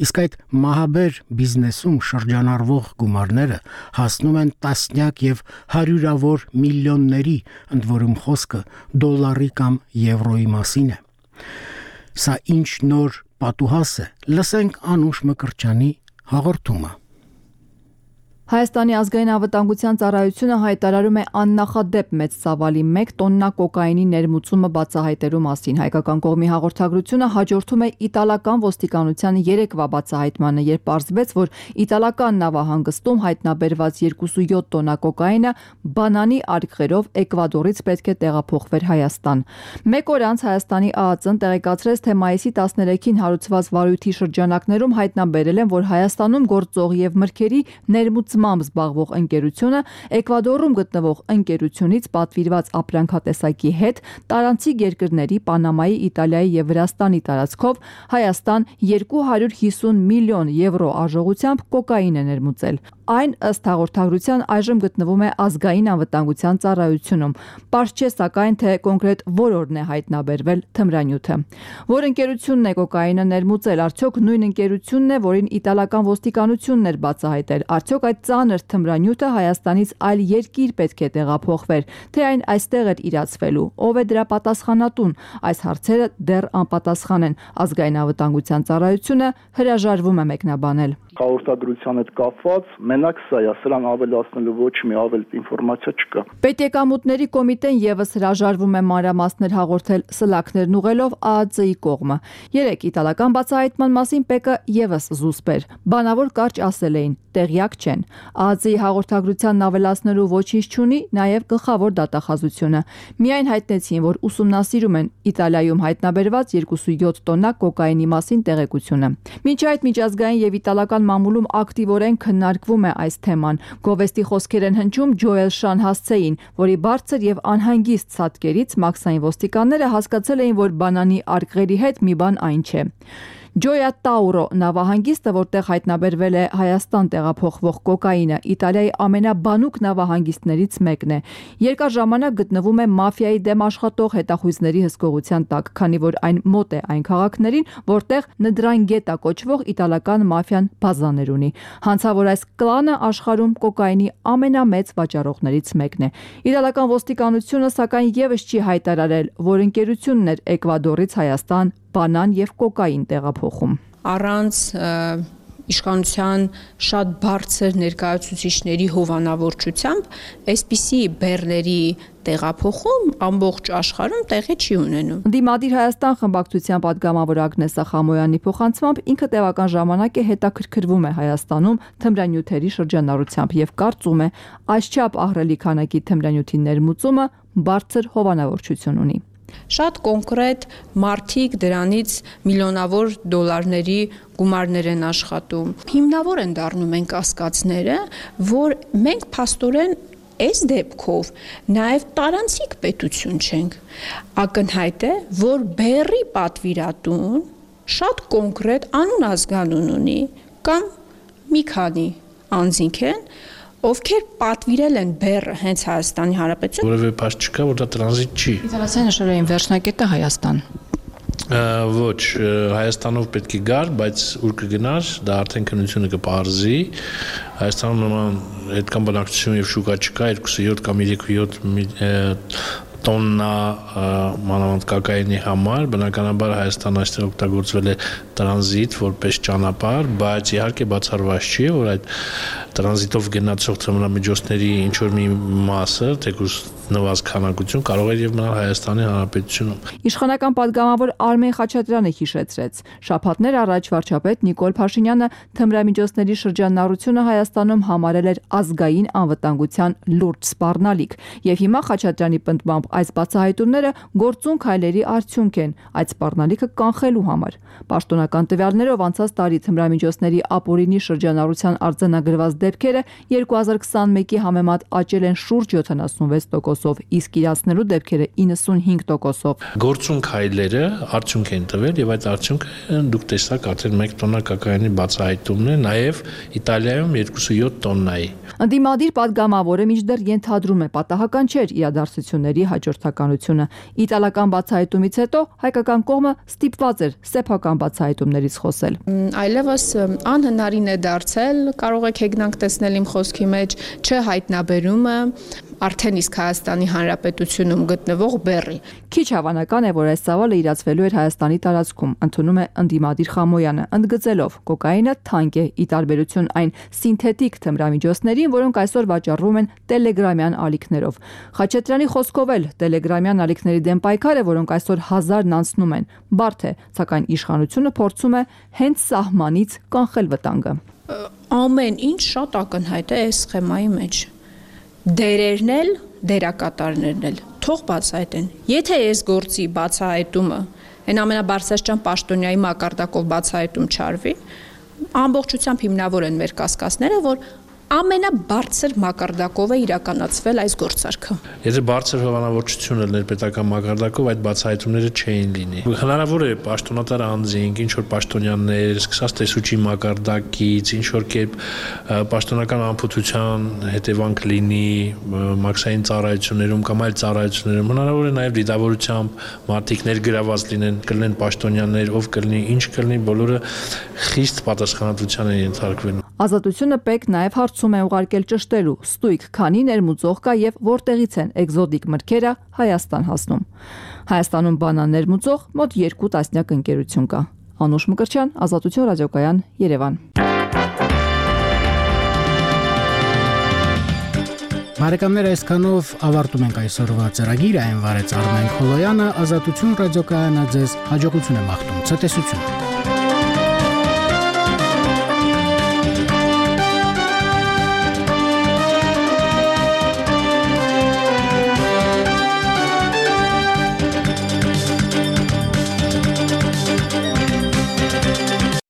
Իսկ այդ մահաբեր բիզնեսում շրջանառվող գումարները հասնում են տասնյակ եւ հարյուրավոր միլիոնների, ընդ որում խոսքը դոլարի կամ եվրոյի մասին է։ Սա ինչ նոր պատուհաս է։ Լսենք Անուշ Մկրտչյանի հաղորդումը։ Հայաստանի ազգային անվտանգության ծառայությունը հայտարարում է աննախադեպ մեծ ծավալի 1 տոննա կոկայինի ներմուծումը բացահայտելու մասին։ Հայկական կողմի հաղորդագրությունը հաջորդում է իտալական ոստիկանության երեկվա բացահայտմանը, երբ պարզվեց, որ իտալական նավահանգստում հայտնաբերված 27 տոննա կոկայինը բանանի արգղերով Էկվադորից պետք է տեղափոխվեր Հայաստան։ Մեկ օր անց Հայաստանի ԱԱԾ-ն տեղեկացրեց, թե մայիսի 13-ին հարուցված վարույթի շրջանակներում հայտնաբերել են, որ Հայաստանում գործող եւ մրգերի ներմուծմամբ զբաղվող ընկերությունը Էկվադորում գտնվող ընկերությունից պատվիրված ապրանքատեսակի հետ տարանցիկ երկրների Պանամայի, Իտալիայի եւ Վրաստանի տարածքով Հայաստան 250 միլիոն եվրո արժողությամբ կոկաին է ներմուծել։ Այն ըստ հաղորդագրության այժմ գտնվում է ազգային անվտանգության ծառայությունում։ Պարզ չէ սակայն, թե կոնկրետ որորն է հայտնաբերվել թմրանյութը։ Որ ընկերությունն է կոկայինը ներմուծել, արդյոք նույն ընկերությունն է, որին իտալական ոստիկանությունն էր բացահայտել, արդյոք այդ ծանր թմրանյութը Հայաստանից այլ երկիր պետք է տեղափոխվեր, թե այն այստեղ էր իրացվելու, ով է դրա պատասխանատուն։ Այս հարցերը դեռ անպատասխան են։ Ազգային անվտանգության ծառայությունը հրաժարվում է մեկնաբանել։ Հաղորդագրության հետ կապված մենակ սա է, սրան ավելացնելու ոչ մի ավել ինֆորմացիա չկա։ Պետեկամուտների կոմիտեն եւս հրաժարվում է մանրամասներ հաղորդել սլաքներն ուղղելով ԱԱԾ-ի կողմը։ Երեք իտալական բացահայտման մասին ՊԵԿ-ը եւս զուսպեր։ Բանավոր կարճ ասել էին, տեղյակ չեն։ ԱԱԾ-ի հաղորդագրությանն ավելացնելու ոչինչ չունի նաեւ գլխավոր դատախազությունը։ Միայն հայտնեցին, որ ուսումնասիրում են Իտալիայում հայտնաբերված 27 տոննա կոկայինի մասին տեղեկությունը։ Մինչ այդ միջազգային եւ իտալական մամուլում ակտիվորեն քննարկվում է այս թեման։ Գովեստի խոսքեր են հնչում Ջոել Շանհասցեին, որի բարձր եւ անհանգիստ ցածկերից մաքսային ոստիկանները հասկացել էին, որ բանանի արգղերի հետ մի բան այն չէ։ Ջոյա Տաուրո նավահանգիստը, որտեղ հայտնաբերվել է Հայաստան տեղափոխվող կոկայինը, Իտալիայի ամենաբանուկ նավահանգիստներից մեկն է։ Երկար ժամանակ գտնվում է մաֆիայի դեմ աշխատող հետախույզների հսկողության տակ, քանի որ այն մոտ է այն քաղաքներին, որտեղ Նդրանգետա կոչվող իտալական մաֆիան բազաներ ունի։ Հանցավոր այս կլանը աշխարհում կոկայինի ամենամեծ վաճառողներից մեկն է։ Իտալական ոստիկանությունը սակայն եւս չի հայտարարել, որ ընկերությունն էր Էկվադորից Հայաստան բանան եւ կոկային տեղափոխում։ Առանց իշխանության շատ բարձր ներկայացուցիչների հովանավորչությամբ այսպիսի բեռների տեղափոխում ամբողջ աշխարհում տեղի չի ունենում։ Դիմադիր Հայաստան խմբակցության պատգամավոր Ագնեսա Խամոյանի փոխանցմամբ ինքը տևական ժամանակ է հետաքրքրվում է Հայաստանում թմրանյութերի շրջանառությամբ եւ կարծում է, այսչափ ահռելի քանակի թմրանյութի ներմուծումը բարձր հովանավորչություն ունի։ Շատ կոնկրետ մարդիկ դրանից միլիոնավոր դոլարների գումարներ են աշխատում։ Հիմնավոր են դառնում են կասկածները, որ մենք փաստորեն այս դեպքով նաև տարանցիկ պետություն չենք։ Ակնհայտ է, որ բեռի պատվիրատուն շատ կոնկրետ անուն ազգանուն ունի կամ մի քանի անձինք են, ովքեր պատվիրել են բեռը հենց Հայաստանի Հանրապետություն։ Որևէ փաստ չկա, որ դա տրանզիտ չի։ Իտալացիները նշել էին վերջնակետը Հայաստան։ Ոչ, Հայաստանով պետք է գար, բայց ուր կգնար, դա արդեն քննությունը կպարզի։ Հայաստանում նման այդքան բնակչություն եւ շուկա չկա, 27 կամ 37 տոննա մանավանդ կոկայինի համար, բնականաբար Հայաստանը այստեղ օգտագործվել է տրանզիտ որպես ճանապարհ, բայց իհարկե բացառված չի, որ այդ տրանզիտով գնացող թմրամիջոցների ինչ որ մի մասը, թեկուզ նվազ քանակություն կարող է եւ մնալ Հայաստանի Հանրապետությունում։ Իշխանական պատգամավոր Արմեն Խաչատրյանը հիշեցրեց. շաբաթներ առաջ վարչապետ Նիկոլ Փաշինյանը թմրամիջոցների շրջանառությունը Հայաստանում համարել էր ազգային անվտանգության լուրջ սպառնալիք, եւ հիմա Խաչատրյանի պնդմամբ այս բացահայտումները գործուն քայլերի արդյունք են այդ սպառնալիքը կանխելու համար։ Պաշտոնական տվյալներով անցած տարի թմրամիջոցների ապօրինի շրջանառության արձանագրված դեպքերը 2021-ի համեմատ աճել են շուրջ 76%, իսկ իրացնելու դեպքերը 95%-ով։ Գործուն քայլերը արդյունք են տվել եւ այդ արդյունքը դուք տեսաք արդեն 1 տոննա կոկայինի բացահայտումն է, նաեւ Իտալիայում 27 տոննայի։ Ընդդիմադիր պատգամավորը մինչդեռ ենթադրում է պատահական չէր իրադարձությունների հաջորդականությունը։ Իտալական բացահայտումից հետո հայկական կողմը ստիպված էր սեփական բացահայտումներից խոսել։ Այլևս անհնարին է դարձել, կարող եք հեգնանք ունենանք տեսնել իմ խոսքի մեջ, չհայտնաբերումը արդեն իսկ Հայաստանի Հանրապետությունում գտնվող բեռի։ Քիչ հավանական է, որ այս ծավալը իրացվելու էր Հայաստանի տարածքում, ընդունում է ընդդիմադիր Խամոյանը, ընդգծելով կոկաինը թանկ է ի տարբերություն այն սինթետիկ թմրամիջոցներին, որոնք այսօր վաճառվում են տելեգրամյան ալիքներով։ Խաչատրյանի խոսքով էլ տելեգրամյան ալիքների դեմ պայքարը, որոնք այսօր 1000-ն անցնում են, բարդ է, սակայն իշխանությունը փորձում է հենց սահմանից կանխել վտանգը։ Ամեն ինչ շատ ակնհայտ է այս սխեմայի մեջ։ Դերերն էլ, դերակատարներն էլ թող բացահայտեն։ Եթե այս գործի բացահայտումը այն ամենաբարձրաստիճան պաշտոնյայի մակարդակով բացահայտում չարվի, ամբողջությամբ հիմնավոր են մեր կասկածները, որ ամենաբարձր մակարդակով է իրականացվել այս գործարքը։ Եթե բարձր հովանավորչությունը ներպետական մակարդակով այդ բացահայտումները չէին լինի։ Հնարավոր է պաշտոնատար անձինք, ինչ որ պաշտոնյաներ, սկսած տեսուչի մակարդակից, ինչ որ կերպ պաշտոնական անփութության հետևանք լինի մաքսային ծառայություններում կամ այլ ծառայություններում, հնարավոր է նաև դիտավորությամբ մարդիկ ներգրաված լինեն, կլինեն պաշտոնյաներ, ով կլինի, ինչ կլինի, բոլորը խիստ պատասխանատվության են ենթարկվելու։ Ազատությունը պետք նաև հարցում է ուղարկել ճշտելու ստույգ քանի ներմուծող կա եւ որտեղից են էկզոտիկ մրգերը Հայաստան հասնում։ Հայաստանում բանան ներմուծող մոտ 2 տասնյակ ընկերություն կա։ Անուշ Մկրտչյան, Ազատություն ռադիոկայան, Երևան։ Բարեկամներ, այսքանով ավարտում ենք այսօրվա ծրագիրը, այն վարեց Արմեն Խոլոյանը, Ազատություն ռադիոկայանը ձեզ հաջողություն է մաղթում, ցտեսություն։